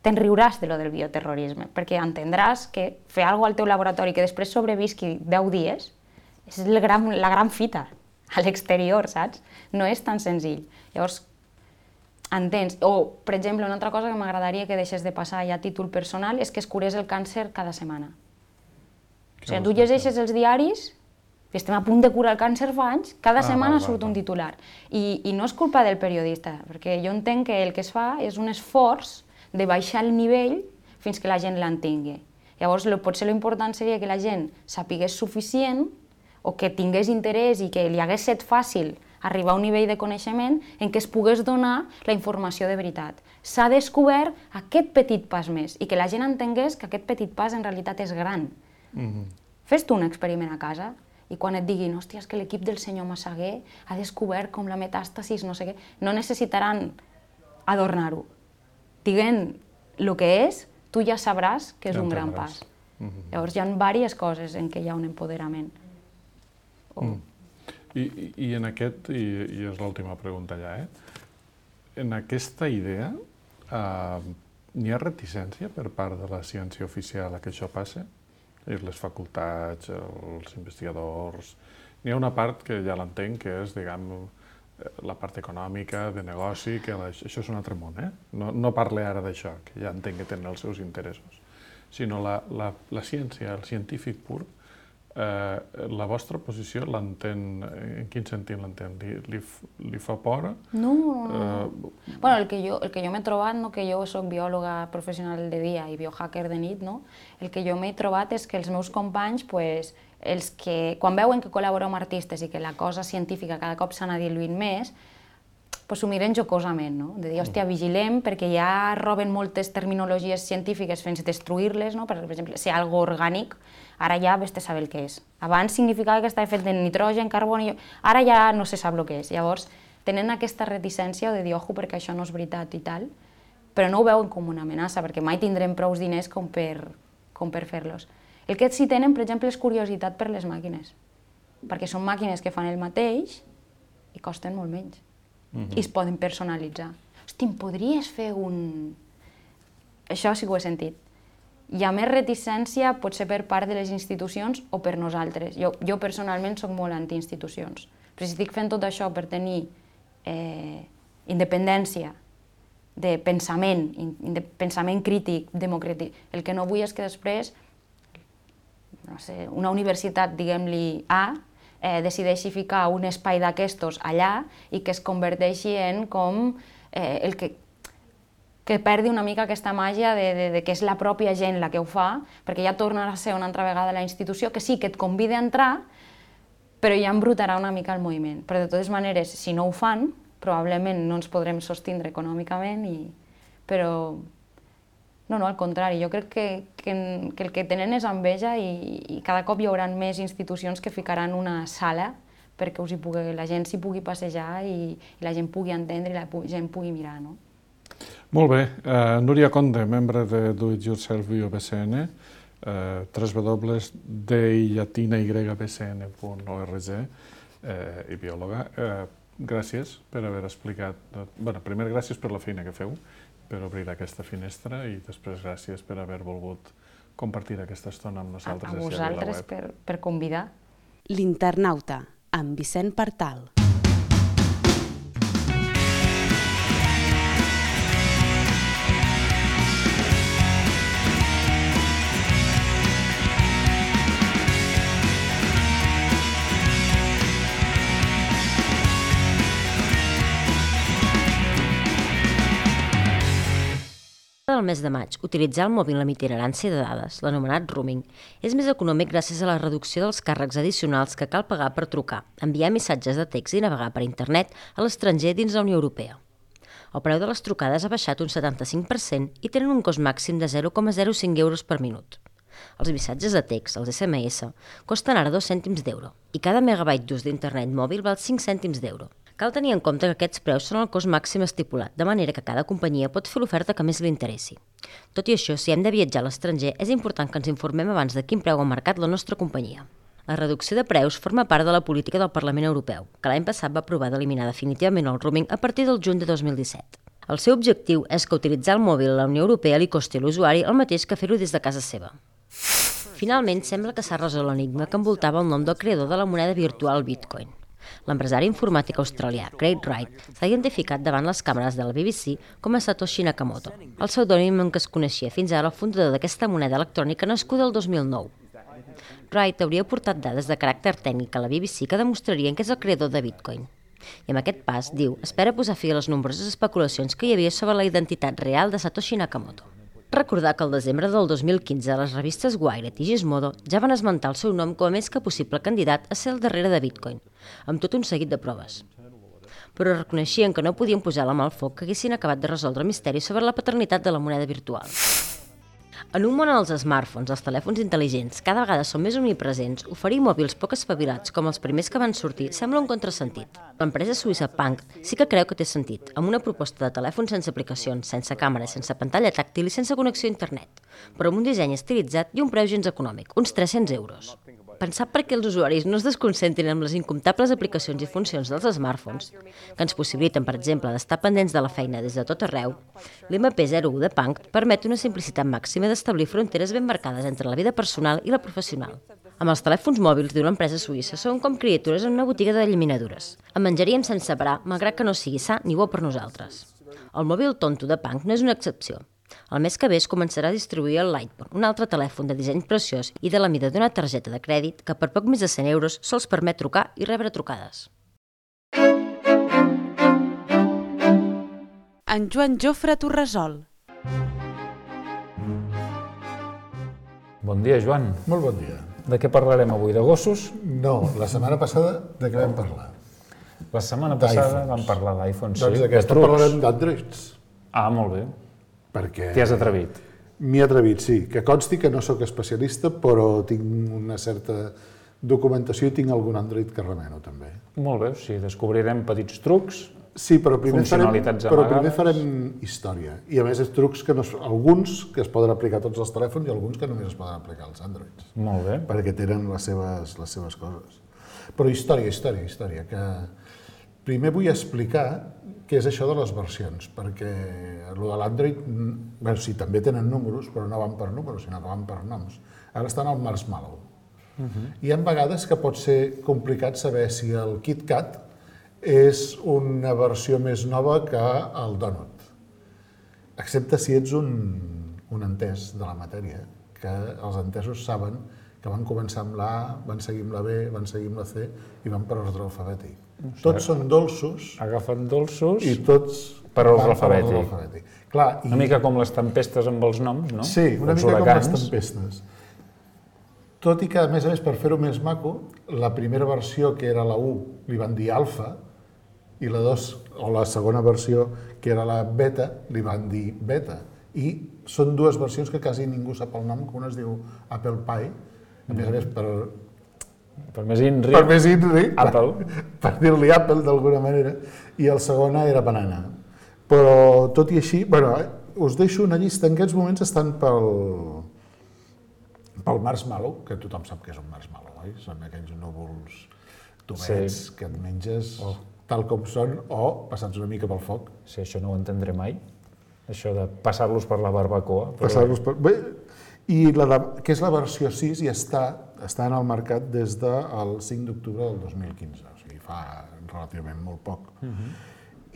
te'n riuràs de lo del bioterrorisme, perquè entendràs que fer alguna cosa al teu laboratori que després sobrevisqui deu dies és el gran, la gran fita a l'exterior, saps? No és tan senzill. Llavors, entens? O, per exemple, una altra cosa que m'agradaria que deixés de passar ja a títol personal és que es curés el càncer cada setmana. O sigui, tu llegeixes els diaris, i estem a punt de curar el càncer fa anys, cada ah, setmana va, va, surt va. un titular. I, I no és culpa del periodista, perquè jo entenc que el que es fa és un esforç de baixar el nivell fins que la gent l'entengui. Llavors, lo, potser l'important seria que la gent sapigués suficient o que tingués interès i que li hagués set fàcil arribar a un nivell de coneixement en què es pogués donar la informació de veritat. S'ha descobert aquest petit pas més i que la gent entengués que aquest petit pas en realitat és gran. Mm-hmm. Fes tu un experiment a casa i quan et diguin, hòstia, és que l'equip del senyor Massaguer ha descobert com la metàstasis, no sé què, no necessitaran adornar-ho. Diguent el que és, tu ja sabràs que és ja un gran pas. Mm-hmm. Llavors hi ha diverses coses en què hi ha un empoderament. Oh. Mm. I, i, I en aquest, i, i és l'última pregunta ja, eh? En aquesta idea eh, n'hi ha reticència per part de la ciència oficial a que això passi? Les facultats, els investigadors... N'hi ha una part que ja l'entenc, que és, diguem, la part econòmica, de negoci, que la, això és un altre món, eh? No, no parle ara d'això, que ja entenc que tenen els seus interessos, sinó la, la, la ciència, el científic pur. Eh, la vostra posició l'entén, en quin sentit l'entén? Li, li, li fa por? No, no, no. Eh, bueno, el que jo, el que jo m'he trobat, no, que jo soc biòloga professional de dia i biohacker de nit, no? El que jo m'he trobat és que els meus companys, pues, els que, quan veuen que col·laboro amb artistes i que la cosa científica cada cop s'ha anat diluint més, pues s'ho miren jocosament, no? De dir, hòstia, vigilem, perquè ja roben moltes terminologies científiques fins a destruir-les, no? Per exemple, ser algo orgànic, ara ja vés a saber el que és. Abans significava que estava fet de nitrogen, carboni, ara ja no se sap el que és. Llavors, tenen aquesta reticència de dir, ojo, perquè això no és veritat i tal, però no ho veuen com una amenaça, perquè mai tindrem prou diners com per, com per fer-los. El que sí tenen, per exemple, és curiositat per les màquines, perquè són màquines que fan el mateix i costen molt menys. Mm-hmm. I es poden personalitzar. Hosti, em podries fer un... Això sí que ho he sentit. Hi ha més reticència, potser per part de les institucions o per nosaltres. Jo, jo personalment soc molt anti-institucions. Però si estic fent tot això per tenir eh, independència de pensament, de pensament crític, democràtic, el que no vull és que després no sé, una universitat, diguem-li A, eh, decideixi ficar un espai d'aquestos allà i que es converteixi en com eh, el que, que que perdi una mica aquesta màgia de, de, de que és la pròpia gent la que ho fa, perquè ja tornarà a ser una altra vegada la institució, que sí, que et convida a entrar, però ja embrutarà una mica el moviment. Però de totes maneres, si no ho fan, probablement no ens podrem sostindre econòmicament, i... però no, no, al contrari, jo crec que, que, que el que tenen és enveja i, i cada cop hi haurà més institucions que ficaran una sala perquè us hi pugui, la gent s'hi pugui passejar i, i la gent pugui entendre i la gent pugui mirar, no? Molt bé. Uh, Núria Conde, membre de Do It Yourself Bio B C N, uh, w w w punt d i llatina y b c n punt org uh, i biòloga. Uh, gràcies per haver explicat... Bé, primer gràcies per la feina que feu, per obrir aquesta finestra, i després gràcies per haver volgut compartir aquesta estona amb nosaltres. A, a vosaltres per, per convidar. L'Internauta, amb Vicent Partal. Del mes de maig, utilitzar el mòbil amb itinerància de dades, l'anomenat roaming, és més econòmic gràcies a la reducció dels càrrecs addicionals que cal pagar per trucar, enviar missatges de text i navegar per internet a l'estranger dins la Unió Europea. El preu de les trucades ha baixat un setanta-cinc per cent i tenen un cost màxim de zero coma zero cinc euros per minut. Els missatges de text, els esse eme esse, costen ara dos cèntims d'euro i cada megabyte d'ús d'internet mòbil val cinc cèntims d'euro. Cal tenir en compte que aquests preus són el cost màxim estipulat, de manera que cada companyia pot fer l'oferta que més li interessi. Tot i això, si hem de viatjar a l'estranger, és important que ens informem abans de quin preu ha marcat la nostra companyia. La reducció de preus forma part de la política del Parlament Europeu, que l'any passat va aprovar d'eliminar definitivament el roaming a partir del juny de dos mil disset. El seu objectiu és que utilitzar el mòbil a la Unió Europea li costi a l'usuari el mateix que fer-ho des de casa seva. Finalment, sembla que s'ha resolt l'enigma que envoltava el nom del creador de la moneda virtual Bitcoin. L'empresari informàtic australià Craig Wright s'ha identificat davant les càmeres de la B B C com a Satoshi Nakamoto, el pseudònim amb què es coneixia fins ara el fundador d'aquesta moneda electrònica nascuda el dos mil nou. Wright hauria portat dades de caràcter tècnic a la B B C que demostrarien que és el creador de Bitcoin. I amb aquest pas, diu, espera posar fi a les nombroses especulacions que hi havia sobre la identitat real de Satoshi Nakamoto. Recordar que el desembre del dos mil quinze les revistes Wired i Gizmodo ja van esmentar el seu nom com a més que possible candidat a ser el darrere de Bitcoin, amb tot un seguit de proves. Però reconeixien que no podien posar la mà al foc que haguessin acabat de resoldre el misteri sobre la paternitat de la moneda virtual. En un món on els smartphones, els telèfons intel·ligents, cada vegada són més omnipresents, oferir mòbils poc espavilats com els primers que van sortir sembla un contrasentit. L'empresa suïssa Punkt sí que creu que té sentit, amb una proposta de telèfon sense aplicacions, sense càmera, sense pantalla tàctil i sense connexió a internet, però amb un disseny estilitzat i un preu gens econòmic, uns tres-cents euros. Pensar perquè els usuaris no es desconcentrin amb les incomptables aplicacions i funcions dels smartphones, que ens possibiliten, per exemple, d'estar pendents de la feina des de tot arreu, l'M P zero u de Punkt permet una simplicitat màxima d'establir fronteres ben marcades entre la vida personal i la professional. Amb els telèfons mòbils d'una empresa suïssa són com criatures en una botiga d'eliminadures. En menjaríem sense parar, malgrat que no sigui sa ni bo per nosaltres. El mòbil tonto de Punkt no és una excepció. El mes que ve es començarà a distribuir el Lightphone, un altre telèfon de disseny preciós i de la mida d'una targeta de crèdit que per poc més de cent euros sols permet trucar i rebre trucades. En Joan Jofre Torresol. Bon dia, Joan. Molt bon dia. De què parlarem avui? De gossos? No, la setmana passada de què vam parlar? La setmana passada vam parlar d'iPhone, sí. Doncs d'aquesta parlarem d'Androids. Ah, molt bé. Perquè... T'hi has atrevit. M'hi he atrevit, sí. Que consti que no sóc especialista, però tinc una certa documentació i tinc algun Android que remeno, també. Molt bé, sí. Descobrirem petits trucs, sí, però primer funcionalitats farem, però amagades. primer farem història. I a més, és trucs que no, alguns que es poden aplicar a tots els telèfons i alguns que només es poden aplicar als Androids. Molt bé. Perquè tenen les seves, les seves coses. Però història, història, història. Que primer vull explicar què és això de les versions, perquè el de l'Android, bueno, sí, també tenen números, però no van per números, sinó que van per noms. Ara estan al Marshmallow. Uh-huh. Hi ha vegades que pot ser complicat saber si el KitKat és una versió més nova que el Donut, excepte si ets un, un entès de la matèria, que els entesos saben que van començar amb la A, van seguir amb la B, van seguir amb la C i van per ordre alfabètic. Tots són dolços. Agafen dolços i tots per ordre alfabètic. Clar, una mica com les tempestes amb els noms, no? Sí, una mica com les tempestes. Tot i que, a més a més, per fer-ho més maco, la primera versió, que era la u, li van dir alfa, i la dos, o la segona versió, que era la beta, li van dir beta. I són dues versions que quasi ningú sap el nom, que una es diu Apple Pie, a més a més per... Per més inri, per més inri, Apple. Per dir-li Apple d'alguna manera, i el segona era banana. Però tot i així, bueno, us deixo una llista, en aquests moments estan pel, pel marshmallow, que tothom sap que és un marshmallow, oi? Són aquells núvols tubets sí. que et menges oh. tal com són o passats una mica pel foc. Sí, això no ho entendré mai, això de passar-los per la barbacoa. Però... Passar-los per... Bé, i la de, que és la versió sis i està, està en el mercat des del cinc d'octubre del dos mil quinze, o sigui, fa relativament molt poc. Uh-huh.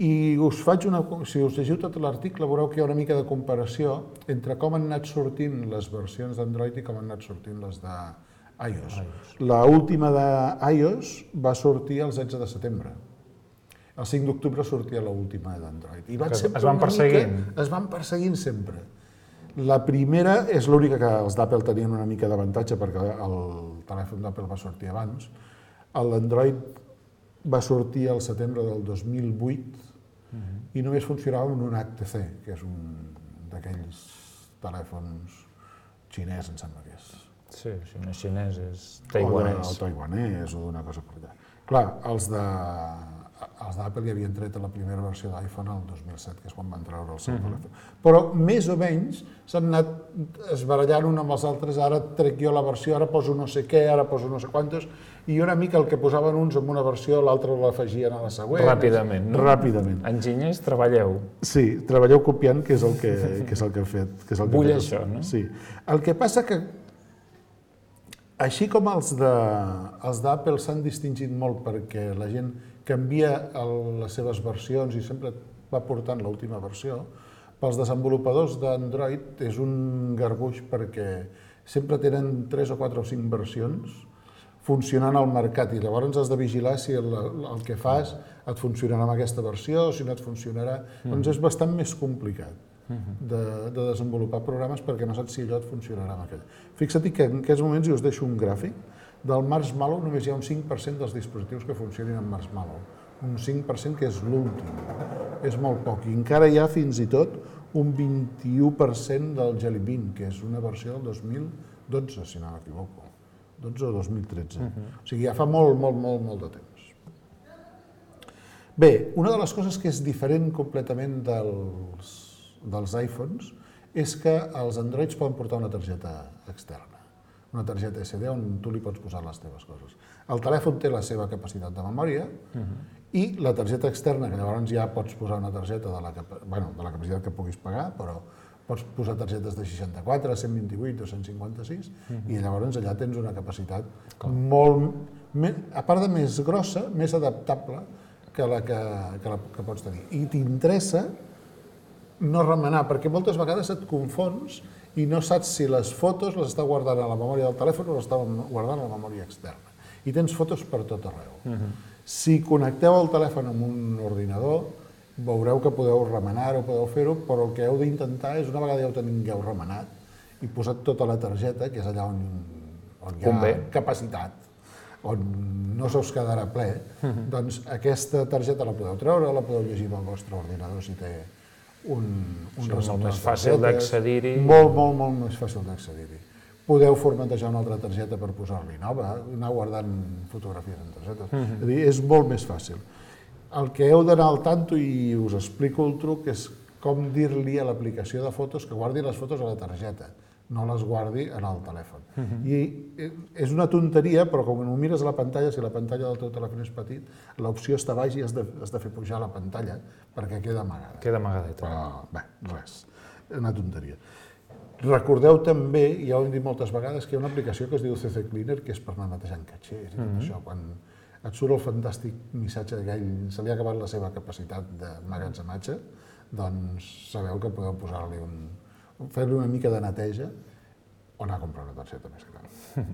I us faig una... Si us llegiu tot l'article, veureu que hi ha una mica de comparació entre com han anat sortint les versions d'Android i com han anat sortint les d'iOS. L'última d'iOS va sortir el setze de setembre. El cinc d'octubre sortia l'última d'Android. I van es van perseguint? Mica, es van perseguint sempre. La primera és l'única que els d'Apple tenien una mica d'avantatge perquè el telèfon d'Apple va sortir abans. L'Android va sortir al setembre del dos mil vuit uh-huh. i només funcionava amb un H T C, que és un d'aquells telèfons xinès, em sembla que és. Sí, si no és xinès, és taiwanès. O taiwanès o d'una cosa per allà. Clar, els de... Els d'Apple ja havien tret la primera versió d'iPhone el dos mil set, que és quan van treure el seu uh-huh. telèfon. Però més o menys s'han anat esbarallant un amb els altres, ara trec jo la versió, ara poso no sé què, ara poso no sé quantos, i una mica el que posaven uns en una versió, l'altre l'afegien a la següent. Ràpidament, no? Ràpidament. Enginyers, treballeu. Sí, treballeu copiant, que és el que, que, és el que he fet. Que és el que Vull fet. això, no? Sí. El que passa que, així com els d'Apple s'han distingit molt perquè la gent canvia el, les seves versions i sempre va portant l'última versió, pels desenvolupadors d'Android és un garbuix perquè sempre tenen tres o quatre o cinc versions funcionant al mercat i llavors has de vigilar si el, el que fas et funcionarà amb aquesta versió o si no et funcionarà. Mm. Doncs és bastant més complicat de, de desenvolupar programes perquè no saps si allò et funcionarà amb aquell. Fixa't que en aquests moments, i us deixo un gràfic, del Marshmallow només hi ha un cinc per cent dels dispositius que funcionin amb Marshmallow. Un cinc per cent que és l'últim. És molt poc. I encara hi ha fins i tot un vint-i-u per cent del Jelly Bean, que és una versió del dos mil dotze, si no m'equivoco. dotze o dos mil tretze. Uh-huh. O sigui, ja fa molt, molt, molt, molt de temps. Bé, una de les coses que és diferent completament dels, dels iPhones és que els Androids poden portar una targeta externa. Una targeta esse de on tu li pots posar les teves coses. El telèfon té la seva capacitat de memòria uh-huh. i la targeta externa, que llavors ja pots posar una targeta de la, bueno, de la capacitat que puguis pagar, però pots posar targetes de seixanta-quatre, cent vint-i-vuit o cent cinquanta-sis uh-huh. i llavors allà tens una capacitat Com? molt, a part de més grossa, més adaptable que la que, que, la, que pots tenir. I t'interessa no remenar, perquè moltes vegades et confons i no saps si les fotos les està guardant a la memòria del telèfon o les està guardant a la memòria externa. I tens fotos per tot arreu. Uh-huh. Si connecteu el telèfon amb un ordinador, veureu que podeu remenar-ho, podeu fer-ho, però el que heu d'intentar és, una vegada ja ho tingueu remenat i posat tota la targeta, que és allà on, on hi ha Convé. capacitat, on no se us quedarà ple, uh-huh. doncs aquesta targeta la podeu treure, la podeu llegir amb el vostre ordinador si té un, un sí, molt més fàcil d'accedir-hi. Molt, molt, molt més fàcil d'accedir-hi. Podeu formatejar una altra targeta per posar-li nova, anar guardant fotografies en targetes. Uh-huh. És a dir, és molt més fàcil. El que heu d'anar al tanto, i us explico el truc, és com dir-li a l'aplicació de fotos que guardi les fotos a la targeta, no les guardi en el telèfon. Uh-huh. I és una tonteria, però com no mires a la pantalla, si la pantalla del teu telèfon és petit, l'opció està baix i has de, has de fer pujar la pantalla perquè queda amagada. Queda amagadeta. Però, bé, res, una tonteria. Recordeu també, i ja ho hem dit moltes vegades, que hi ha una aplicació que es diu C C Cleaner, que és per anar netejant catxers i tot uh-huh. això. Quan et surt el fantàstic missatge que ell se li ha acabat la seva capacitat de magatzematge, doncs sabeu que podeu posar-li un... fer-li una mica de neteja o anar a comprar una targeta més gran.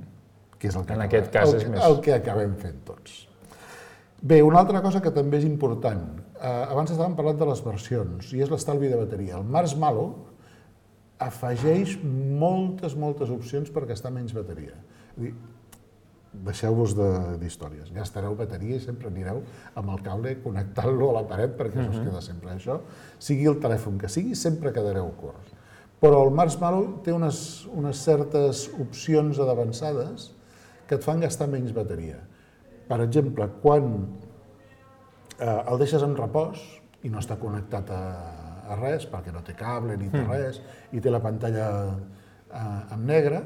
que és el que, En acabem, aquest cas el, és més. el que acabem fent tots. Bé, una altra cosa que també és important. Eh, abans estàvem parlant de les versions, i és l'estalvi de bateria. El Marshmallow afegeix moltes, moltes opcions per gastar menys bateria. És dir, deixeu-vos d'històries. Gastareu bateria i sempre anireu amb el cable connectant-lo a la paret perquè això es queda sempre. Això, sigui el telèfon que sigui, sempre quedareu curts. Però el Marshmallow té unes, unes certes opcions avançades que et fan gastar menys bateria. Per exemple, quan eh, el deixes en repòs i no està connectat a, a res, perquè no té cable ni té res, i té la pantalla eh, en negre,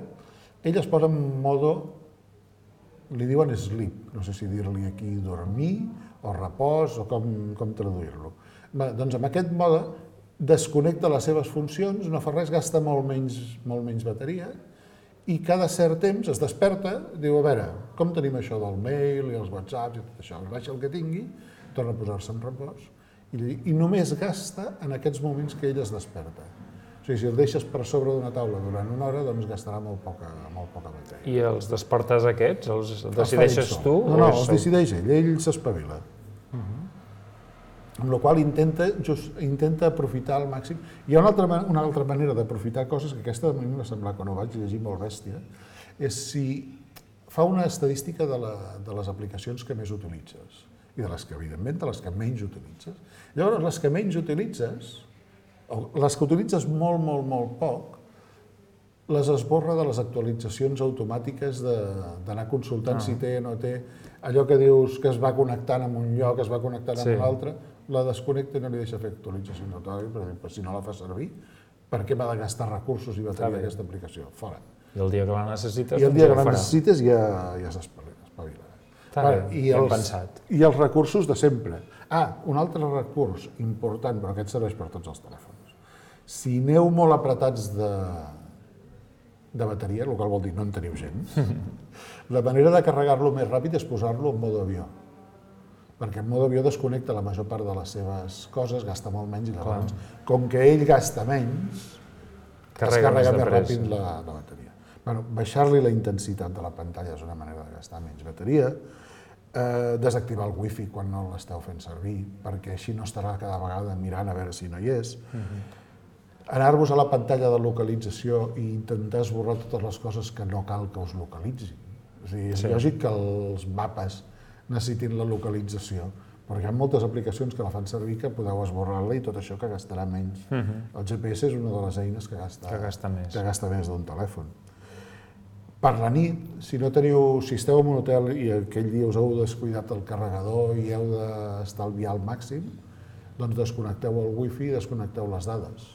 ell es posa en modo, li diuen sleep, no sé si dir-li aquí dormir o repòs o com, com traduir-lo. Doncs amb aquest mode desconnecta les seves funcions, no fa res, gasta molt menys, molt menys bateria, i cada cert temps es desperta, diu, a veure, com tenim això del mail i els whatsapps i tot això, baixa el que tingui, torna a posar-se en repòs, i, i només gasta en aquests moments que ell es desperta. O sigui, si el deixes per sobre d'una taula durant una hora, doncs gastarà molt poca, molt poca bateria. I els despertars aquests, els decideixes tu? No, no, els decideix ell, ell s'espavila. Amb la qual intenta, just, intenta aprofitar al màxim. Hi ha una altra, una altra manera d'aprofitar coses, que aquesta a mi m'ha semblat, quan ho vaig llegir molt bèstia, és si fa una estadística de, la, de les aplicacions que més utilitzes, i de les que, evidentment, de les que menys utilitzes. Llavors, les que menys utilitzes, o les que utilitzes molt, molt, molt poc, les esborra de les actualitzacions automàtiques d'anar consultant si té o no té. Allò que dius que es va connectant amb un lloc, es va connectant amb un altre, la desconnecta i no li deixa fer actualitzacions automàtiques, perquè si no la fa servir, per què m'ha de gastar recursos i bateria aquesta aplicació? Fora. I el dia que la necessites, I el dia que la necessites ja, ja s'espavila. I els, pensat. I els recursos de sempre. Ah, un altre recurs important, però aquest serveix per tots els telèfons. Si aneu molt apretats de, de bateria, el qual vol dir no en teniu gens, la manera de carregar-lo més ràpid és posar-lo en modo avió. Perquè en modo avió desconnecta la major part de les seves coses, gasta molt menys, i llavors, com que ell gasta menys, es carrega més ràpid la, la bateria. Bueno, baixar-li la intensitat de la pantalla és una manera de gastar menys bateria, eh, desactivar el wifi quan no l'esteu fent servir, perquè així no estarà cada vegada mirant a veure si no hi és. Anar-vos a la pantalla de localització i intentar esborrar totes les coses que no cal que us localitzin. És a dir, és lògic que els mapes necessitin la localització, però hi ha moltes aplicacions que la fan servir que podeu esborrar-la i tot això que gastarà menys. El G P S és una de les eines que gasta, que gasta més, que gasta més d'un telèfon. Per la nit, si no teniu, si esteu en un hotel i aquell dia us heu descuidat el carregador i heu d'estalviar al màxim, doncs desconnecteu el wifi i desconnecteu les dades.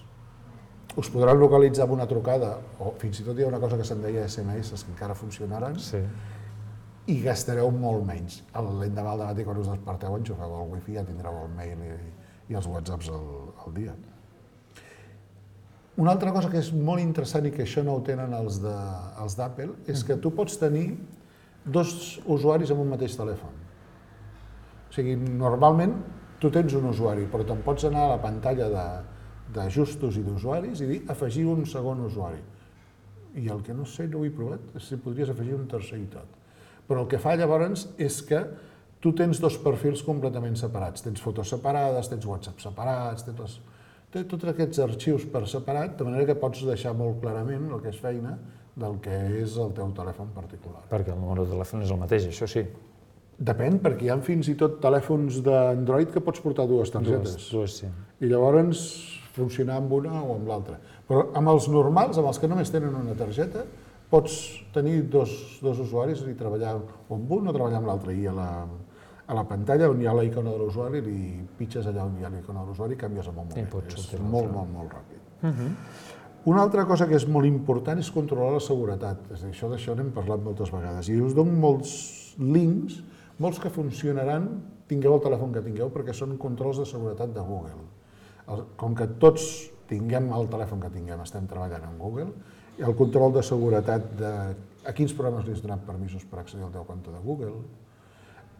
Us podran localitzar amb una trucada, o fins i tot hi ha una cosa que se'n deia S M S, que encara funcionaran, sí. I gastareu molt menys. L'endemà al dematí, quan us desperteu, enxufeu el wifi, ja tindreu el mail i, i els whatsapps al, al dia. Una altra cosa que és molt interessant i que això no ho tenen els d'Apple és que tu pots tenir dos usuaris amb un mateix telèfon. O sigui, normalment tu tens un usuari, però te'n pots anar a la pantalla d'ajustos i d'usuaris i dir afegir un segon usuari. I el que no sé, no ho he provat, és si podries afegir un tercer i tot. Però el que fa llavors és que tu tens dos perfils completament separats. Tens fotos separades, tens WhatsApp separats, tens, les... tens tots aquests arxius per separat, de manera que pots deixar molt clarament el que és feina del que és el teu telèfon particular. Perquè el número de telèfon és el mateix, això sí. Depèn, perquè hi ha fins i tot telèfons d'Android que pots portar dues targetes. Dues, dues, sí. I llavors funcionar amb una o amb l'altra. Però amb els normals, amb els que només tenen una targeta, pots tenir dos, dos usuaris i treballar o amb un o treballar amb l'altre. I a la, a la pantalla on hi ha la icona de l'usuari, li pitges allà on hi ha la icona de l'usuari i canvies en un moment. És molt, molt, molt ràpid. Uh-huh. Una altra cosa que és molt important és controlar la seguretat. És a dir, això d'això n'hem parlat moltes vegades. I us dono molts links, molts que funcionaran, tingueu el telèfon que tingueu, perquè són controls de seguretat de Google. Com que tots tinguem el telèfon que tinguem, estem treballant amb Google, el control de seguretat de a quins programes li has donat permisos per accedir al teu compte de Google,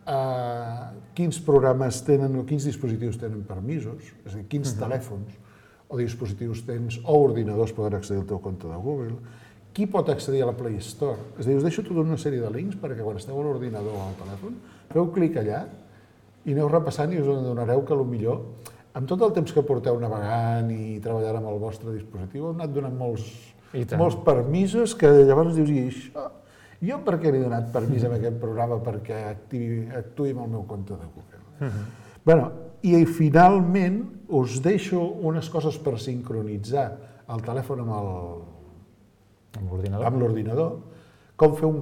a quins programes tenen o quins dispositius tenen permisos, és a dir, quins uh-huh. telèfons o dispositius tens o ordinadors poden accedir al teu compte de Google, qui pot accedir a la Play Store? És a dir, us deixo tota una sèrie de links perquè quan esteu a l'ordinador o al telèfon, feu clic allà i aneu repassant i us adonareu que potser, amb tot el temps que porteu navegant i treballant amb el vostre dispositiu, heu anat donant molts, molts permisos que llavors dius, i això, jo per què li he donat permís a aquest programa perquè activi, actuï amb el meu compte de Google? Uh-huh. Bueno, i finalment us deixo unes coses per sincronitzar el telèfon amb el amb l'ordinador, com fer un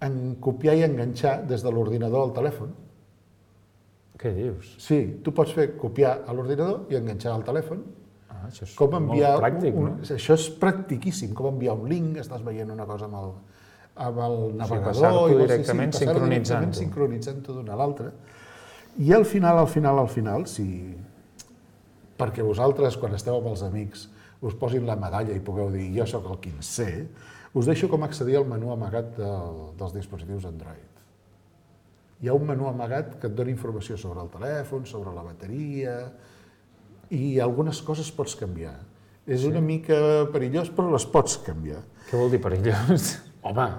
en copiar i enganxar des de l'ordinador al telèfon. Què dius? Sí, tu pots fer copiar a l'ordinador i enganxar al telèfon. Ah, això és com enviar molt pràctic, un, no? un, això és practiquíssim, com enviar un link, estàs veient una cosa amb el, amb el navegador... Sí, passar-t'ho i directament sí, sincronitzant-ho. Sincronitzant-ho d'una a l'altra. I al final, al final, al final, si... perquè vosaltres, quan esteu amb els amics, us posin la medalla i pugueu dir jo sóc el quinzè, us deixo com accedir al menú amagat del, dels dispositius Android. Hi ha un menú amagat que et dona informació sobre el telèfon, sobre la bateria, i algunes coses pots canviar. És una mica perillós, però les pots canviar. Què vol dir perillós? Home,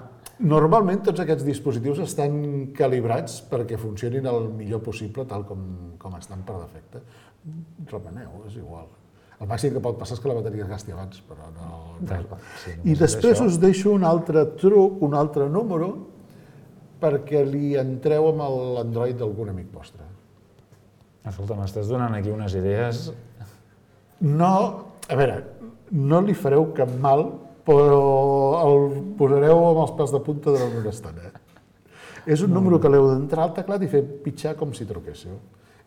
normalment tots aquests dispositius estan calibrats perquè funcionin el millor possible tal com, com estan per defecte. Remeneu, és igual. El màxim que pot passar és que la bateria es gasti abans, però no... Sí, I després us deixo un altre truc, un altre número, perquè li entreu amb l'Android d'algun amic vostre. Escolta, m'estàs donant aquí unes idees... No, a veure, no li fareu cap mal, però el posareu amb els pèls de punta durant una estona. És un número que l'heu d'entrar al teclat i fer pitjar com si truquéssiu.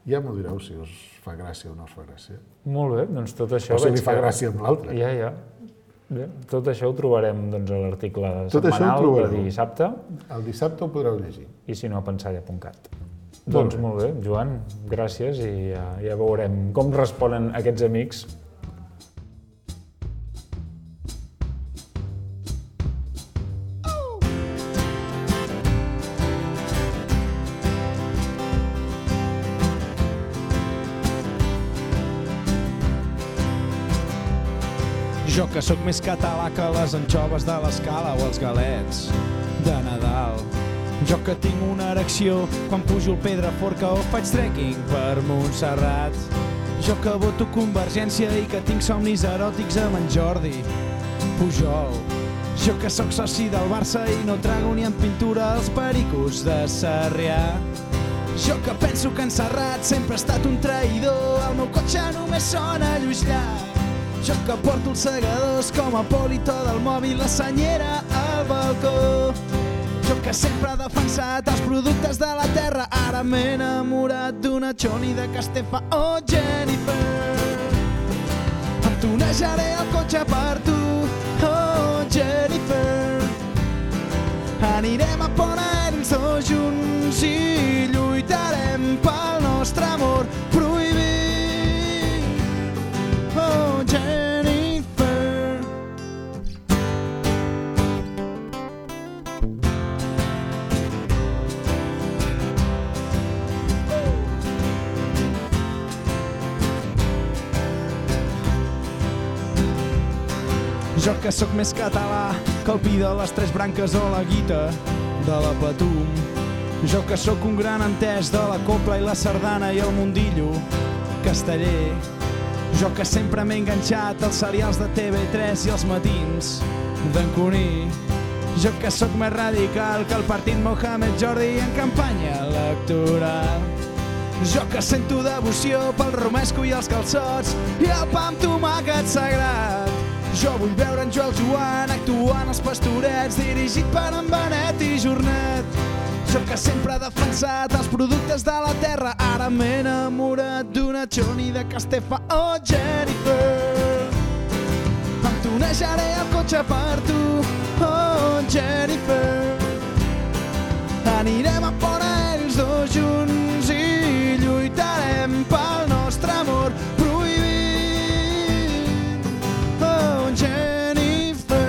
Ja m'ho direu si us fa gràcia o no us fa gràcia. Molt bé, doncs tot això... O si li fa gràcia amb l'altre. Ja, ja. Bé, tot això ho trobarem doncs, a l'article tot setmanal de dissabte. El dissabte ho podreu llegir. I si no, a pensalla punt cat. Doncs molt bé, Joan, gràcies i ja, ja veurem com responen aquests amics. Jo que sóc més català que les anxoves de l'Escala o els galets de Nadal. Jo que tinc una erecció quan pujo el Pedraforca o faig trekking per Montserrat. Jo que voto Convergència i que tinc somnis eròtics amb en Jordi Pujol. Jo que sóc soci del Barça i no trago ni en pintura els pericos de Sarrià. Jo que penso que en Serrat sempre ha estat un traïdor, el meu cotxe només sona Lluís Llach. Jo que porto els segadors com a polito del mòbil, la senyera al balcó. Jo que sempre he defensat els productes de la terra, ara m'he enamorat d'una Choni de Castefa o Jennifer. Em tunejaré el cotxe per tu, oh Jennifer. Anirem a Pont Ells dos junts i lluitarem pel nostre amor prohibit. Oh, Jennifer. Jo que sóc més català que el pi de les tres branques o la guita de la Patum. Jo que sóc un gran entès de la copla i la sardana i el mundillo casteller. Jo que sempre m'he enganxat als serials de T V tres i els matins d'en Cuní. Jo que sóc més radical que el partit Mohamed Jordi en campanya electoral. Jo que sento devoció pel romesco i els calçots i el pa amb tomàquet sagrat. Jo vull veure en Joel Joan actuant als Pastorets, dirigit per en Benet i Jornet. Jo que sempre he defensat els productes de la terra, ara m'he enamorat d'una Choni de Castefa o Jennifer. Em tunejaré el cotxe per tu, oh Jennifer. Anirem a Pont Ells dos junts i lluitarem pel nostre amor prohibit, oh Jennifer.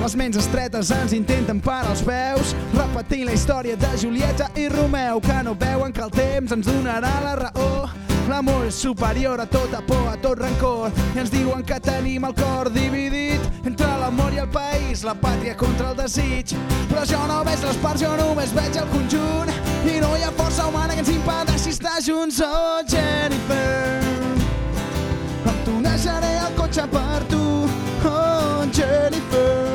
Les ments estretes ens intenten parar els peus, repetint la història de Julieta i Romeu, que no veuen que el temps ens donarà la raó. L'amor és superior a tota por, a tot rancor, i ens diuen que tenim el cor dividit entre l'amor i el país, la pàtria contra el desig. Però jo no veig les parts, jo només veig el conjunt, i no hi ha força humana que ens impedeixi estar junts. Oh, Jennifer, em tunejaré el cotxe per tu. Oh, Jennifer,